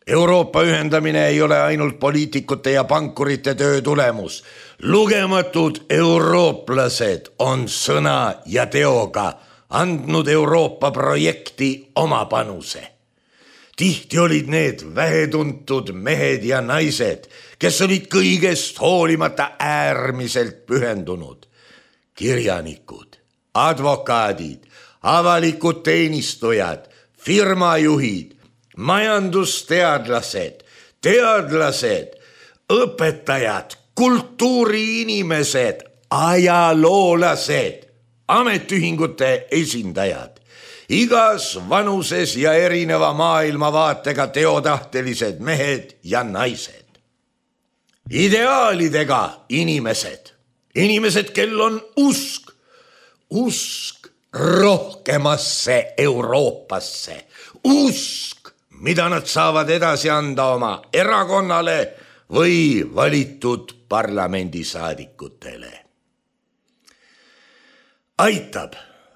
Euroopa ühendamine ei ole ainult poliitikute ja pankurite töö tulemus. Lugematud eurooplased on sõna ja teoga andnud Euroopa projekti oma panuse. Tihti olid need vähetuntud mehed ja naised, kes olid kõigest hoolimata äärmiselt pühendunud. Kirjanikud, advokaadid, avalikud teenistujad, firmajuhid, majandusteadlased, teadlased, õpetajad, kultuuriinimesed, ajaloolased, ametiühingute esindajad, igas vanuses ja erineva maailmavaatega teotahtelised mehed ja naised. Ideaalidega inimesed, kel on usk rohkemasse Euroopasse, usk, mida nad saavad edasi anda oma erakonnale või valitud parlamendisaadikutele. Aitab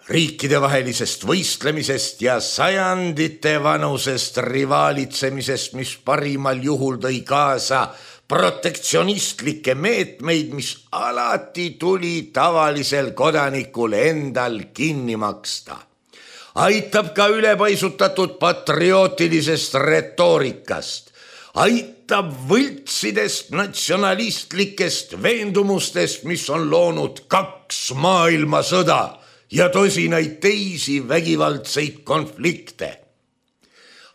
riikidevahelisest võistlemisest ja sajandite vanusest rivaalitsemisest, mis parimal juhul tõi kaasa protektsionistlikke meetmeid, mis alati tuli tavalisel kodanikul endal kinni maksta. Aitab ka ülepaisutatud patriotilisest retoorikast, aitab võltsidest natsionalistlikest veendumustest, mis on loonud 2 maailmasõda ja tosinaid teisi vägivaldseid konflikte.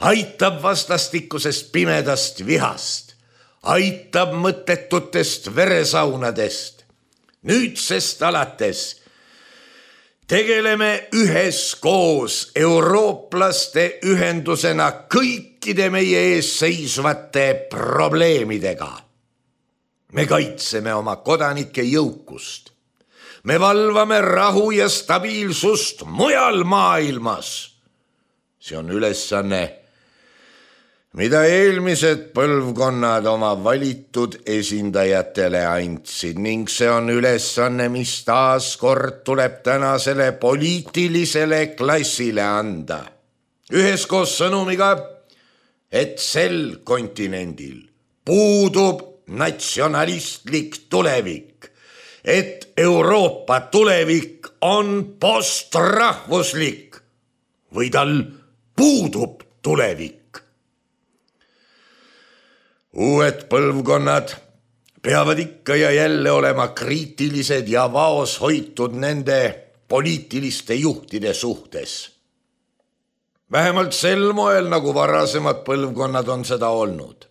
Aitab vastastikusest pimedast vihast, aitab mõttetutest veresaunadest. Nüüdsest alates tegeleme üheskoos eurooplaste ühendusena kõikide meie ees seisvate probleemidega. Me kaitseme oma kodanike jõukust. Me valvame rahu ja stabiilsust mujal maailmas. See on ülesanne, mida eelmised põlvkonnad oma valitud esindajatele andsid ning see on ülesanne, mis taas kord tuleb tänasele poliitilisele klassile anda. Üheskoos sõnumiga, et sel kontinendil puudub natsionalistlik tulevik, et Euroopa tulevik on postrahvuslik või tal puudub tulevik. Uued põlvkonnad peavad ikka ja jälle olema kriitilised ja vaos hoitud nende poliitiliste juhtide suhtes. Vähemalt sel moel, nagu varasemad põlvkonnad on seda olnud.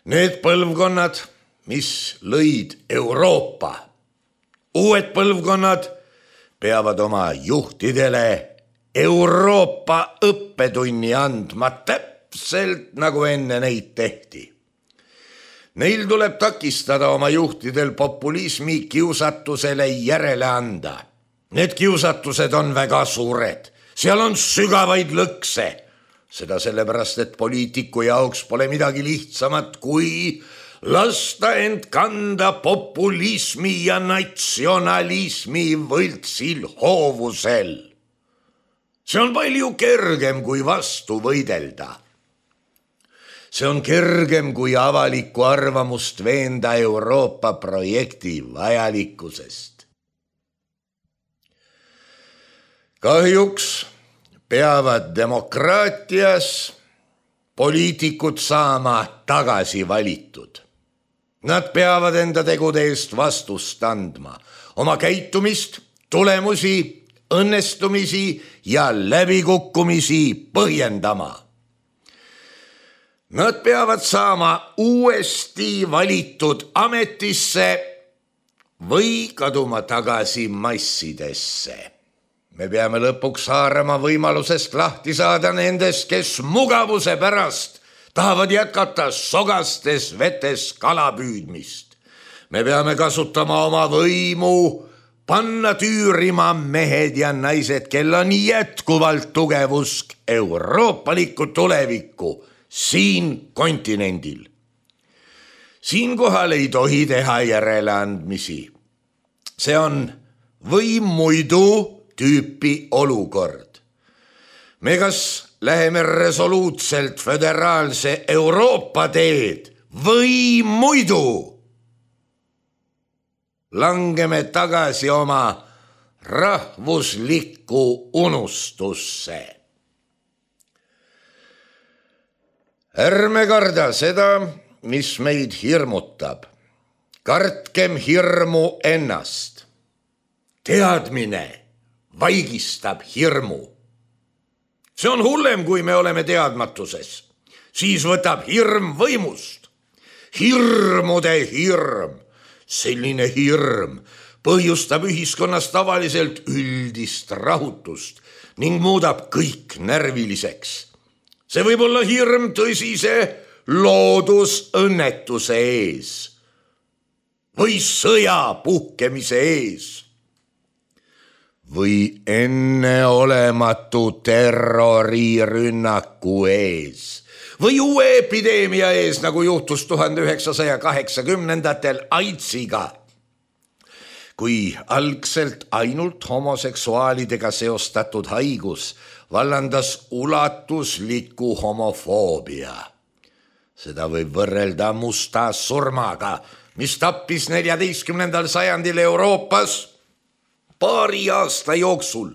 Need põlvkonnad, mis lõid Euroopa, uued põlvkonnad peavad oma juhtidele Euroopa õppetunni andma täpselt nagu enne neid tehti. Neil tuleb takistada oma juhtidel populismi kiusatusele järele anda. Need kiusatused on väga suured, seal on sügavaid lõkse. Seda sellepärast, et poliitiku jaoks pole midagi lihtsamat kui lasta end kanda populismi ja natsionalismi võltsil hoovusel. See on palju kergem kui vastu võidelda. See on kergem kui avalikku arvamust veenda Euroopa projekti vajalikkusest. Kahjuks peavad demokraatias poliitikud saama tagasi valitud. Nad peavad enda tegude eest vastust andma, oma käitumist, tulemusi, õnnestumisi ja läbikukkumisi põhjendama. Nad peavad saama uuesti valitud ametisse või kaduma tagasi massidesse. Me peame lõpuks haarama võimalusest lahti saada nendest, kes mugavuse pärast tahavad jätkata sogastes vetes kalapüüdmist. Me peame kasutama oma võimu, panna tüürima mehed ja naised, kel on jätkuvalt tugev usk euroopalikku tulevikku siin kontinendil. Siinkohal ei tohi teha järeleandmisi. See on või muidu tüüpi olukord. Me kas läheme resoluutselt föderaalse Euroopa teed või muidu langeme tagasi oma rahvuslikku unustusse. Ärme karda seda, mis meid hirmutab. Kartkem hirmu ennast. Teadmine vaigistab hirmu. See on hullem, kui me oleme teadmatuses. Siis võtab hirm võimust. Hirmude hirm. Selline hirm põhjustab ühiskonnas tavaliselt üldist rahutust ning muudab kõik närviliseks. See võib olla hirm tõsise loodusõnnetuse ees või sõja puhkemise ees või enneolematu terrorirünnaku ees või uue epideemia ees, nagu juhtus 1980-ndatel AIDSiga, kui algselt ainult homoseksuaalidega seostatud haigus vallandas ulatusliku homofoobia. Seda võib võrrelda musta surmaga, mis tappis 14. sajandil Euroopas paari aasta jooksul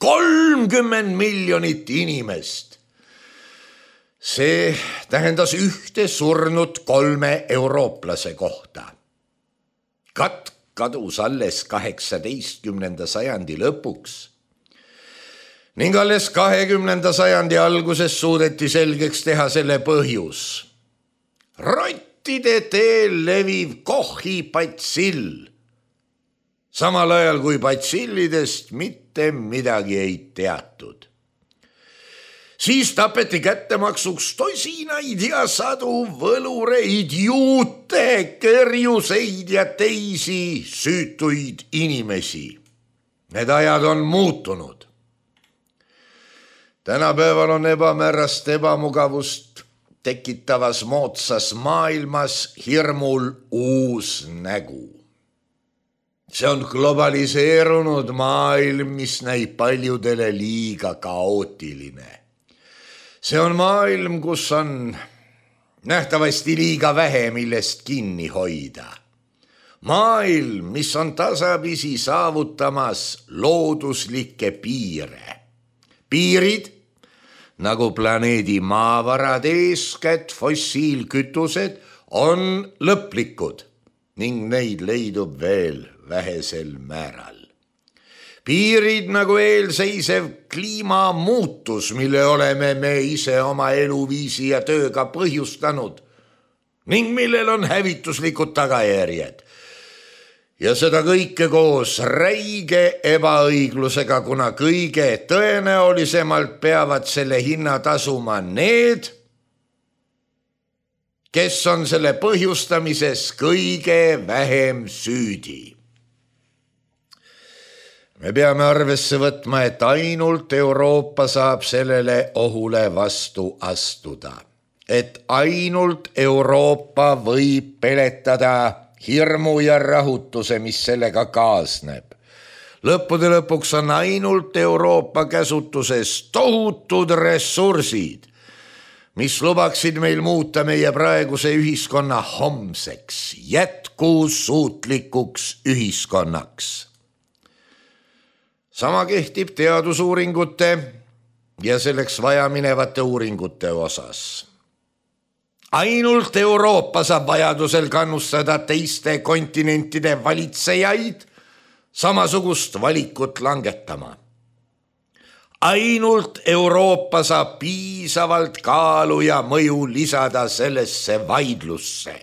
30 miljonit inimest. See tähendas ühte surnut 3 eurooplase kohta. Katk kadus alles 18. sajandi lõpuks ning alles 20. sajandi alguses suudeti selgeks teha selle põhjus. Rottide teel leviv Kochi batsill, samal ajal kui batsillidest mitte midagi ei teatud. Siis tapeti kättemaksuks tosinaid ja sadu võlureid, juute, kerjuseid ja teisi süütuid inimesi. Need ajad on muutunud. Tänapäeval on ebamäärast ebamugavust tekitavas moodsas maailmas hirmul uus nägu. See on globaliseerunud maailm, mis näib paljudele liiga kaootiline. See on maailm, kus on nähtavasti liiga vähe, millest kinni hoida. Maailm, mis on tasapisi saavutamas looduslikke piire. Piirid, nagu planeedi maavarad, eeskätt fossiilkütused, on lõplikud ning neid leidub veel vähesel määral. Piirid nagu eelseisev kliimamuutus, mille oleme me ise oma eluviisi ja tööga põhjustanud ning millel on hävituslikud tagajärjed. Ja seda kõike koos räige ebaõiglusega, kuna kõige tõenäolisemalt peavad selle hinna tasuma need, kes on selle põhjustamises kõige vähem süüdi. Me peame arvesse võtma, et ainult Euroopa saab sellele ohule vastu astuda. Et ainult Euroopa võib peletada hirmu ja rahutuse, mis sellega kaasneb. Lõppude lõpuks on ainult Euroopa käsutuses tohutud ressursid, mis lubaksid meil muuta meie praeguse ühiskonna homseks, jätkusuutlikuks ühiskonnaks. Sama kehtib teadusuuringute ja selleks vajaminevate uuringute osas. Ainult Euroopa saab vajadusel kannustada teiste kontinentide valitsejaid samasugust valikut langetama. Ainult Euroopa saab piisavalt kaalu ja mõju lisada sellesse vaidlusse.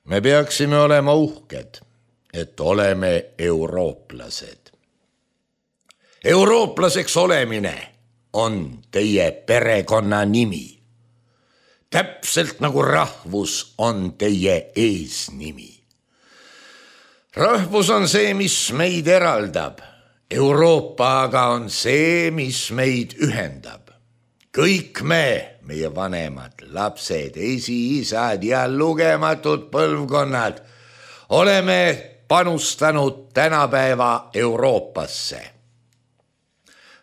Me peaksime olema uhked, et oleme eurooplased. Eurooplaseks olemine on teie perekonna nimi. Täpselt nagu rahvus on teie eesnimi. Rahvus on see, mis meid eraldab. Euroopa aga on see, mis meid ühendab. Kõik me, meie vanemad, lapsed, esiisad ja lugematud põlvkonnad, oleme panustanud tänapäeva Euroopasse.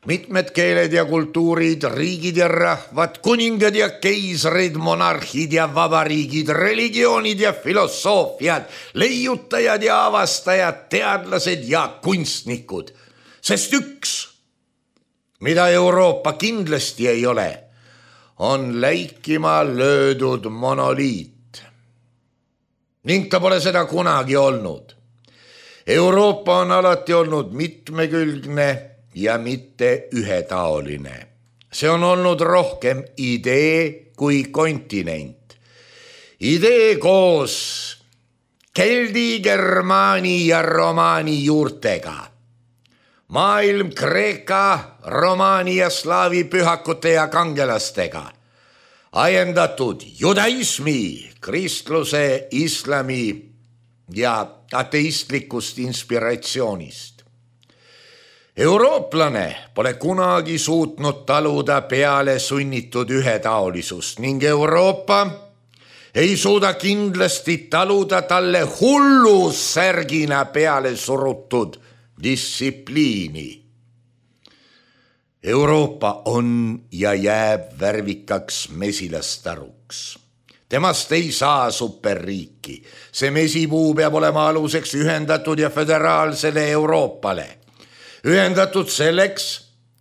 Mitmed keeled ja kultuurid, riigid ja rahvad, kuningad ja keisrid, monarhid ja vabariigid, religioonid ja filosoofiad, leiutajad ja avastajad, teadlased ja kunstnikud. Sest üks, mida Euroopa kindlasti ei ole, on läikima löödud monoliit. Ning ta pole seda kunagi olnud. Euroopa on alati olnud mitmekülgne ja mitte ühetaoline. See on olnud rohkem idee kui kontinent. Idee koos keldi, germaani ja romaani juurtega. Maailm kreeka, romaani ja slaavi pühakute ja kangelastega. Ajendatud judaismi, kristluse, islami ja ateistlikust inspiratsioonist. Eurooplane pole kunagi suutnud taluda peale sunnitud ühetaolisust ning Euroopa ei suuda kindlasti taluda talle hullussärgina peale surutud distsipliini. Euroopa on ja jääb värvikaks mesilastaruks. Temast ei saa superriiki. See mesipuu peab olema aluseks ühendatud ja föderaalsele Euroopale. Ühendatud selleks,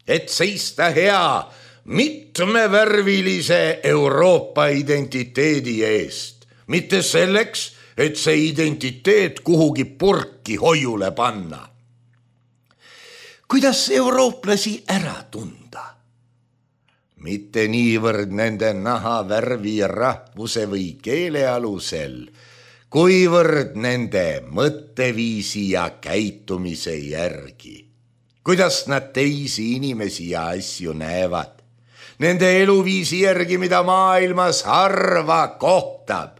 et seista hea mitmevärvilise Euroopa identiteedi eest. Mitte selleks, et see identiteet kuhugi purki hoiule panna. Kuidas eurooplasi ära tunda? Mitte niivõrd nende nahavärvi, rahvuse või keele alusel, kuivõrd nende mõtteviisi ja käitumise järgi. Kuidas nad teisi inimesi ja asju näevad. Nende eluviisi järgi, mida maailmas harva kohtab.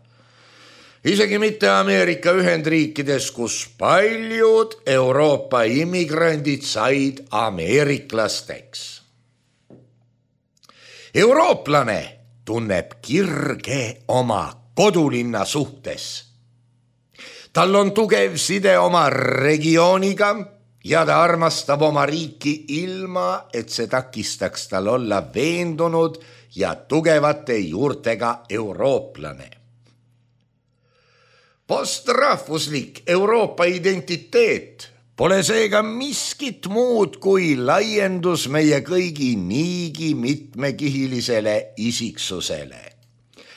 Isegi mitte Ameerika Ühendriikides, kus paljud Euroopa immigrandid said ameeriklasteks. Eurooplane tunneb kirge oma kodulinna suhtes. Tal on tugev side oma regiooniga ja ta armastab oma riiki ilma, et see takistaks tal olla veendunud ja tugevate juurtega eurooplane. Postrahvuslik Euroopa identiteet pole seega miskit muud kui laiendus meie kõigi niigi mitmekihilisele isiksusele.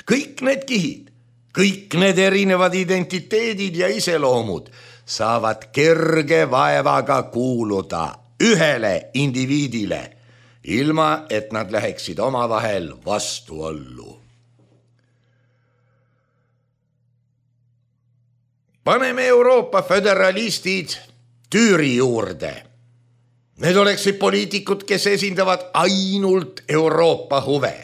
Kõik need kihid, kõik need erinevad identiteedid ja iseloomud saavad kerge vaevaga kuuluda ühele indiviidile, ilma et nad läheksid omavahel vastuollu. Paneme Euroopa föderalistid tüüri juurde. Need oleksid poliitikud, kes esindavad ainult Euroopa huve.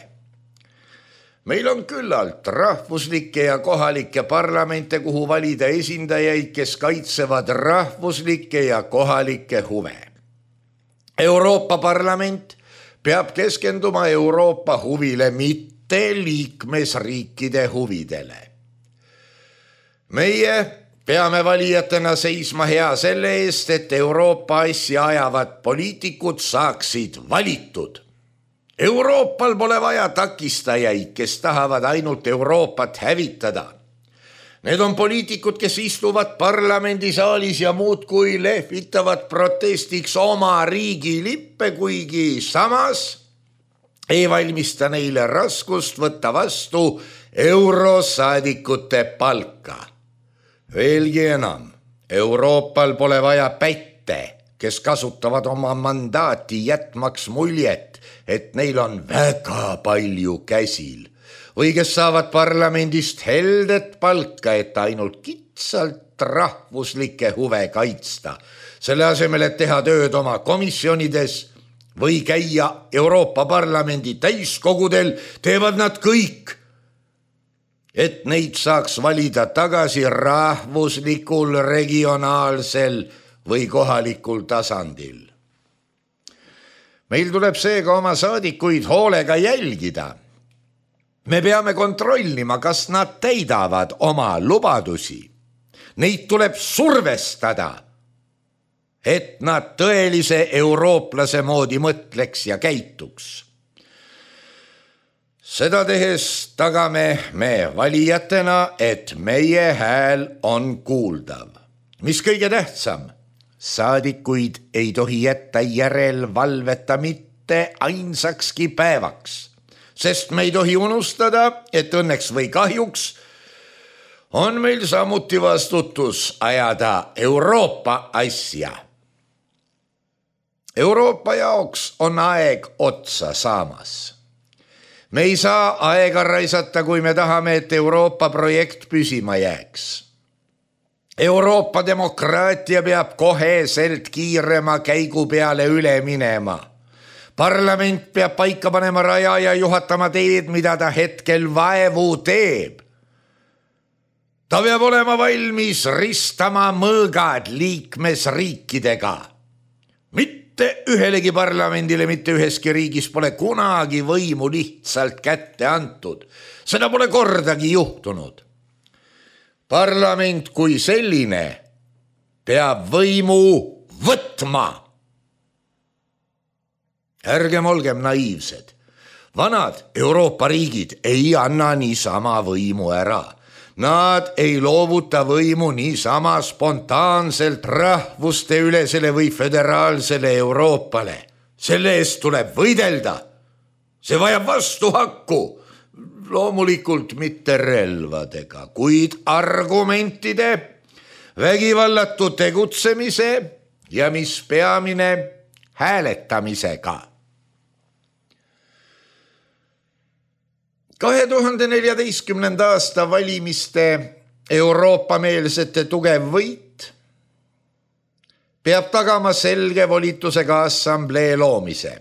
Meil on küllalt rahvuslikke ja kohalikke parlamente, kuhu valida esindajaid, kes kaitsevad rahvuslikke ja kohalikke huve. Euroopa Parlament peab keskenduma Euroopa huvile, mitte liikmesriikide huvidele. Meie peame valijatena seisma hea selle eest, et Euroopa asja ajavad poliitikud saaksid valitud. Euroopal pole vaja takistajaid, kes tahavad ainult Euroopat hävitada. Need on poliitikud, kes istuvad parlamendisaalis ja muudkui lehvitavad protestiks oma riigi lippe, kuigi samas ei valmista neile raskust võtta vastu eurosaadikute palka. Veelgi enam, Euroopal pole vaja pätte, kes kasutavad oma mandaati jätmaks muljet, et neil on väga palju käsil või kes saavad parlamendist heldet palka, et ainult kitsalt rahvuslikke huve kaitsta. Selle asemel, et teha tööd oma komisjonides või käia Euroopa Parlamendi täiskogudel, teevad nad kõik, et neid saaks valida tagasi rahvuslikul, regionaalsel või kohalikul tasandil. Meil tuleb seega oma saadikuid hoolega jälgida. Me peame kontrollima, kas nad täidavad oma lubadusi. Neid tuleb survestada, et nad tõelise eurooplase moodi mõtleks ja käituks. Seda tehes tagame me valijatena, et meie hääl on kuuldav. Mis kõige tähtsam? Saadikuid ei tohi jätta järelvalveta mitte ainsakski päevaks, sest me ei tohi unustada, et õnneks või kahjuks on meil samuti vastutus ajada Euroopa asja. Euroopa jaoks on aeg otsa saamas. Me ei saa aega raisata, kui me tahame, et Euroopa projekt püsima jääks. Euroopa demokraatia peab koheselt kiirema käigu peale üle minema. Parlament peab paika panema raja ja juhatama teed, mida ta hetkel vaevu teeb. Ta peab olema valmis ristama mõõgad liikmesriikidega. Mitte ühelegi parlamendile, mitte üheski riigis pole kunagi võimu lihtsalt kätte antud. Seda pole kordagi juhtunud. Parlament kui selline peab võimu võtma. Ärgem olgem naiivsed. Vanad Euroopa riigid ei anna niisama võimu ära. Nad ei loovuta võimu niisama spontaanselt rahvuste ülesele või föderaalsele Euroopale. Selle eest tuleb võidelda. See vajab vastuhakku. Loomulikult mitte relvadega, kuid argumentide, vägivallatu tegutsemise ja mis peamine, hääletamisega. 2014. aasta valimiste Euroopa-meelsete tugev võit peab tagama selge volitusega assamblee loomise.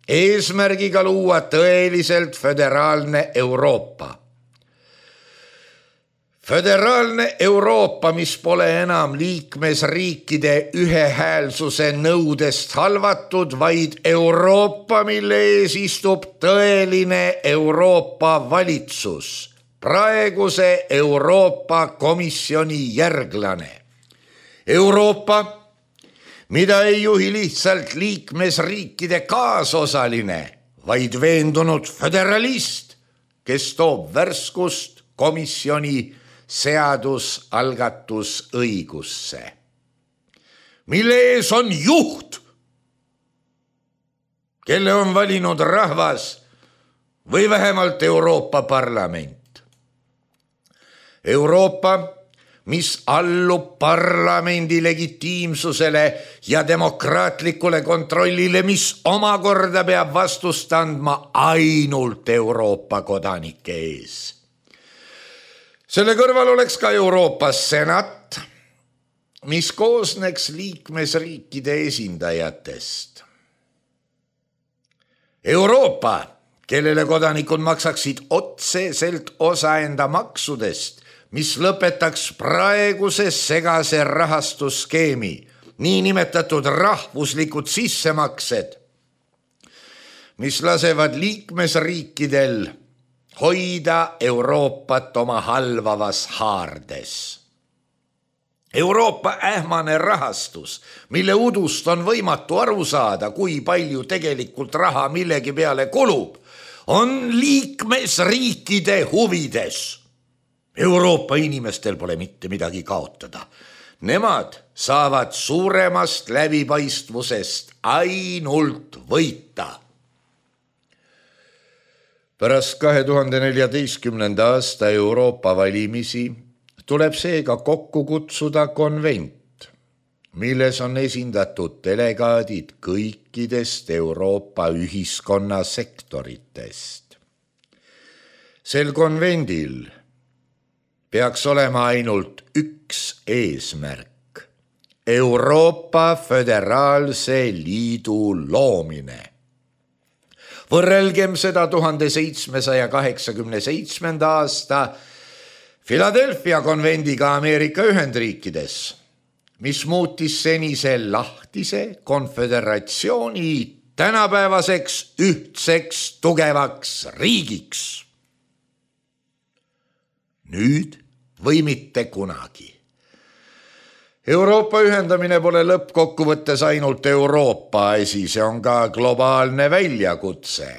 Eesmärgiga luua tõeliselt föderaalne Euroopa. Föderaalne Euroopa, mis pole enam liikmesriikide ühehäälsuse nõudest halvatud, vaid Euroopa, mille ees istub tõeline Euroopa valitsus, praeguse Euroopa Komisjoni järglane. Euroopa, mida ei juhi lihtsalt liikmesriikide kaasosaline, vaid veendunud föderalist, kes toob värskust komisjoni seadusalgatusõigusse, mille ees on juht, kelle on valinud rahvas või vähemalt Euroopa Parlament. Euroopa, mis allub parlamendi legitiimsusele ja demokraatlikule kontrollile, mis omakorda peab vastust andma ainult Euroopa kodanike ees. Selle kõrval oleks ka Euroopa senat, mis koosneks liikmesriikide esindajatest. Euroopa, kellele kodanikud maksaksid otseselt osa enda maksudest, mis lõpetaks praeguse segase rahastusskeemi, niinimetatud rahvuslikud sissemaksed, mis lasevad liikmesriikidel hoida Euroopat oma halvavas haardes. Euroopa ähmane rahastus, mille udust on võimatu aru saada, kui palju tegelikult raha millegi peale kulub, on liikmesriikide huvides. Euroopa inimestel pole mitte midagi kaotada. Nemad saavad suuremast läbipaistvusest ainult võita. Pärast 2014. aasta Euroopa valimisi tuleb seega kokku kutsuda konvent, milles on esindatud delegaadid kõikidest Euroopa ühiskonna sektoritest. Sel konvendil peaks olema ainult üks eesmärk: Euroopa Föderaalse Liidu loomine. Võrrelgem seda 1787. aasta Philadelphia konvendiga Ameerika Ühendriikides, mis muutis senise lahtise konföderatsiooni tänapäevaseks ühtseks tugevaks riigiks. Nüüd või mitte kunagi. Euroopa ühendamine pole lõppkokkuvõttes ainult Euroopa asi, see on ka globaalne väljakutse.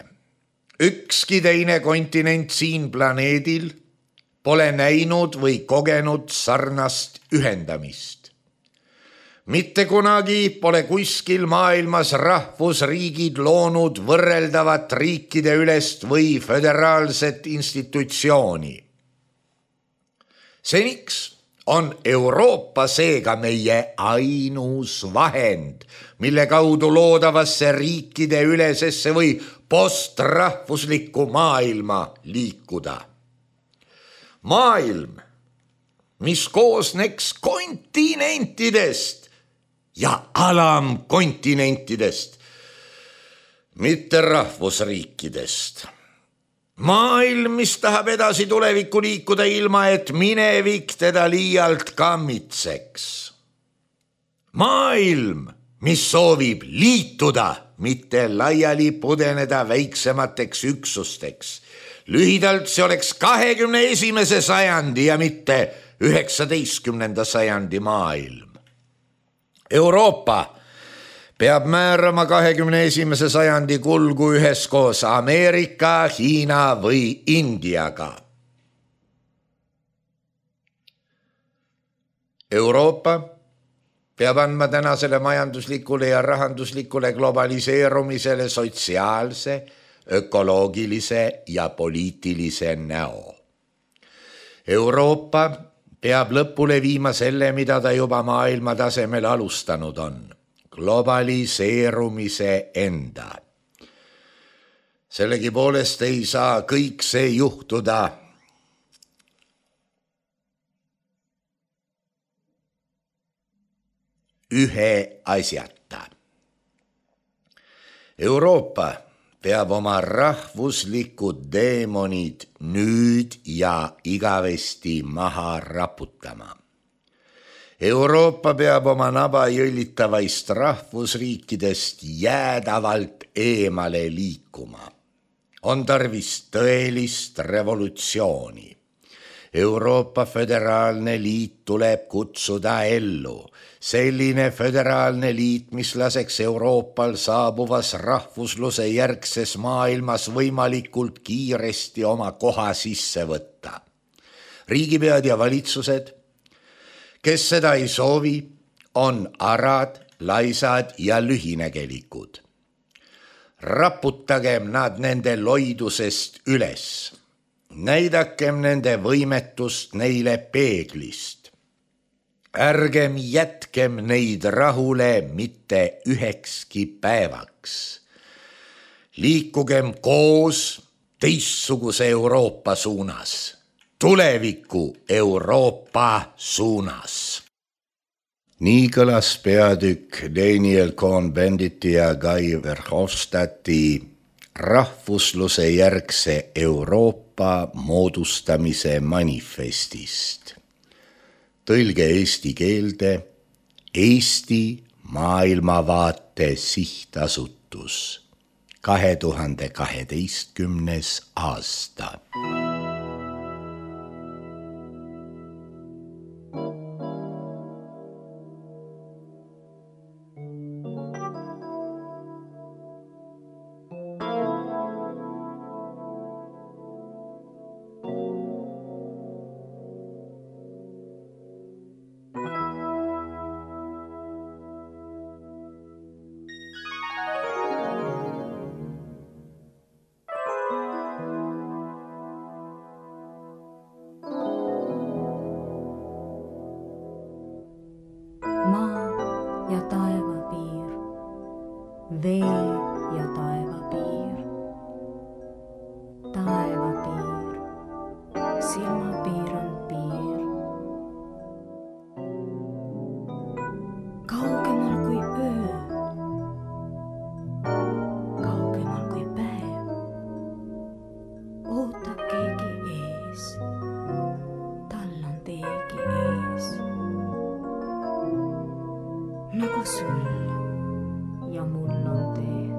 Ükski teine kontinent siin planeedil pole näinud või kogenud sarnast ühendamist. Mitte kunagi pole kuskil maailmas rahvusriigid loonud võrreldavat riikide ülest või föderaalset institutsiooni. Seniks on Euroopa seega meie ainus vahend, mille kaudu loodavasse riikide ülesesse või postrahvuslikku maailma liikuda. Maailm, mis koosneks kontinentidest ja alamkontinentidest, mitte rahvusriikidest. Maailm, mis tahab edasi tulevikku liikuda ilma, et minevik teda liialt kammitseks. Maailm, mis soovib liituda, mitte laiali pudeneda väiksemateks üksusteks. Lühidalt see oleks 21. sajandi ja mitte 19. sajandi maailm. Euroopa peab määrama 21. sajandi kulgu üheskoos Ameerika, Hiina või Indiaga. Euroopa peab andma tänasele majanduslikule ja rahanduslikule globaliseerumisele sotsiaalse, ökoloogilise ja poliitilise näo. Euroopa peab lõpule viima selle, mida ta juba maailma tasemel alustanud on. Globaliseerumise enda. Sellegi poolest ei saa kõik see juhtuda ühe asjata. Euroopa peab oma rahvuslikud deemonid nüüd ja igavesti maha raputama. Euroopa peab oma naba jõllitavaist rahvusriikidest jäädavalt eemale liikuma. On tarvis tõelist revolutsiooni. Euroopa Föderaalne Liit tuleb kutsuda ellu. Selline föderaalne liit, mis laseks Euroopal saabuvas rahvusluse järgses maailmas võimalikult kiiresti oma koha sisse võtta. Riigipead ja valitsused, kes seda ei soovi, on arad, laisad ja lühinägelikud. Raputagem nad nende loidusest üles. Näidakem nende võimetust neile peeglist. Ärgem jätkem neid rahule mitte ühekski päevaks. Liikugem koos teistsuguse Euroopa suunas. Tuleviku Euroopa suunas. Nii kõlas peatükk Daniel Cohn-Benditi ja Guy Verhofstadti rahvusluse järgse Euroopa moodustamise manifestist. Tõlge eesti keelde Eesti maailmavaate sihtasutus 2012. aasta. Ja taivapiir, vee ja taivapiir, taivapiir, silmapiir on piir. Kaugemal kui öö, kaugemal kui päev, ootab keegi ees, tal on teegi ees. Nagu sul ja mul on tee.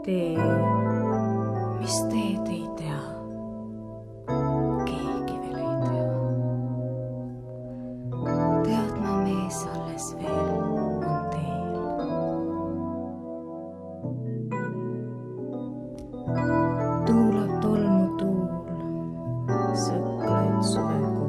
Tee, mis teed ei tea, keegi veel ei tea. Teadma mees alles veel on teel. Tuulab tolmu tuul, sõklaid suvekuul.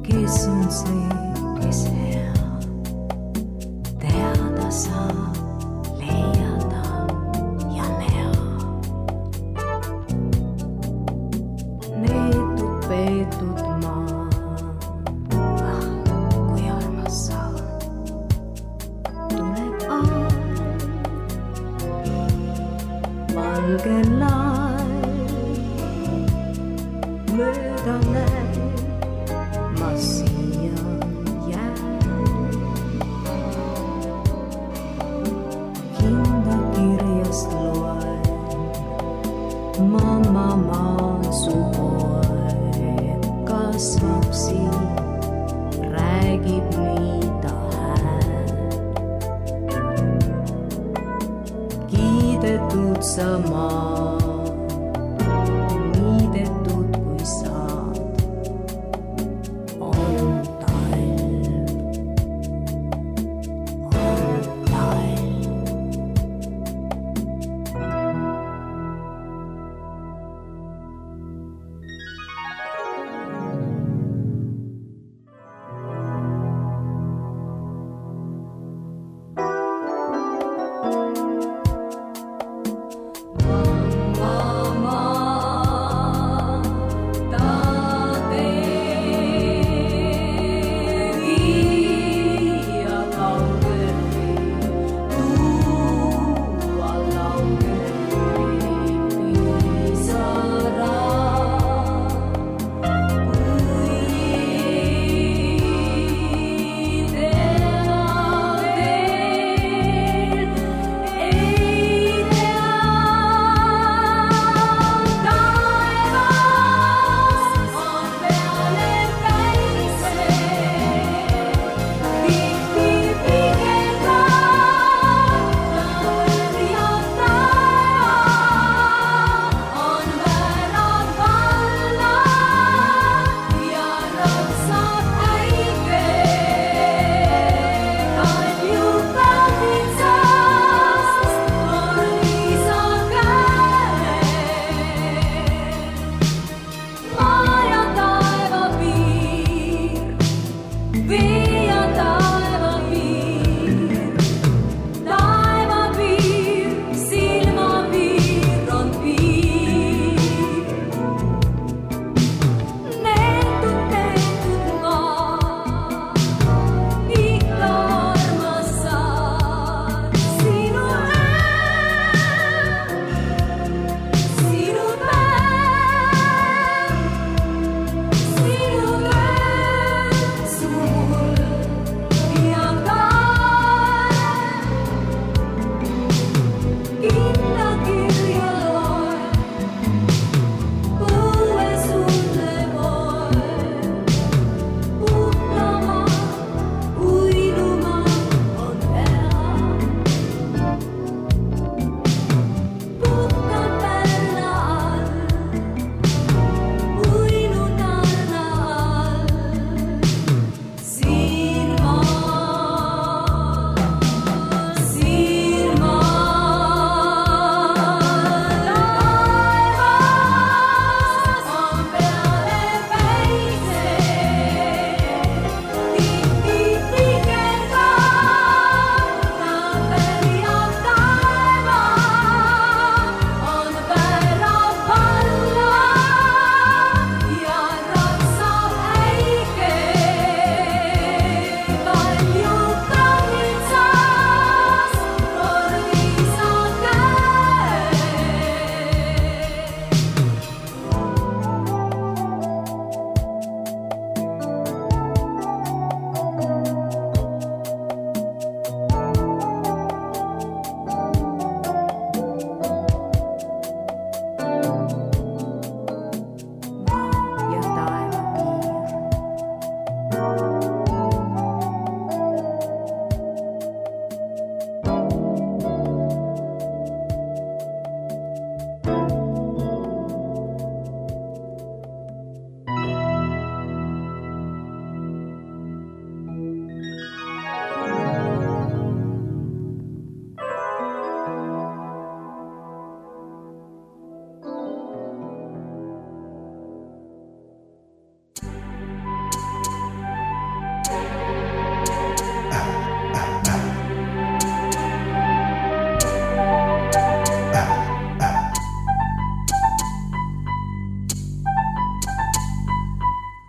Kes on see, kes hea, teada saab, leiada ja näha. Neetud, peetud maa, kui armas saab. Tuleb aeg, valge laev, mööda näeb. Ma siia jään, hinda kirjast loen, mamma su poeg kasvab siin, räägib nii ta hääl. Kiidetud sa maa, niidetud kui saad.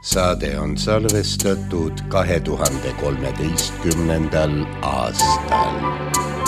Saade on salvestatud 2013. aastal.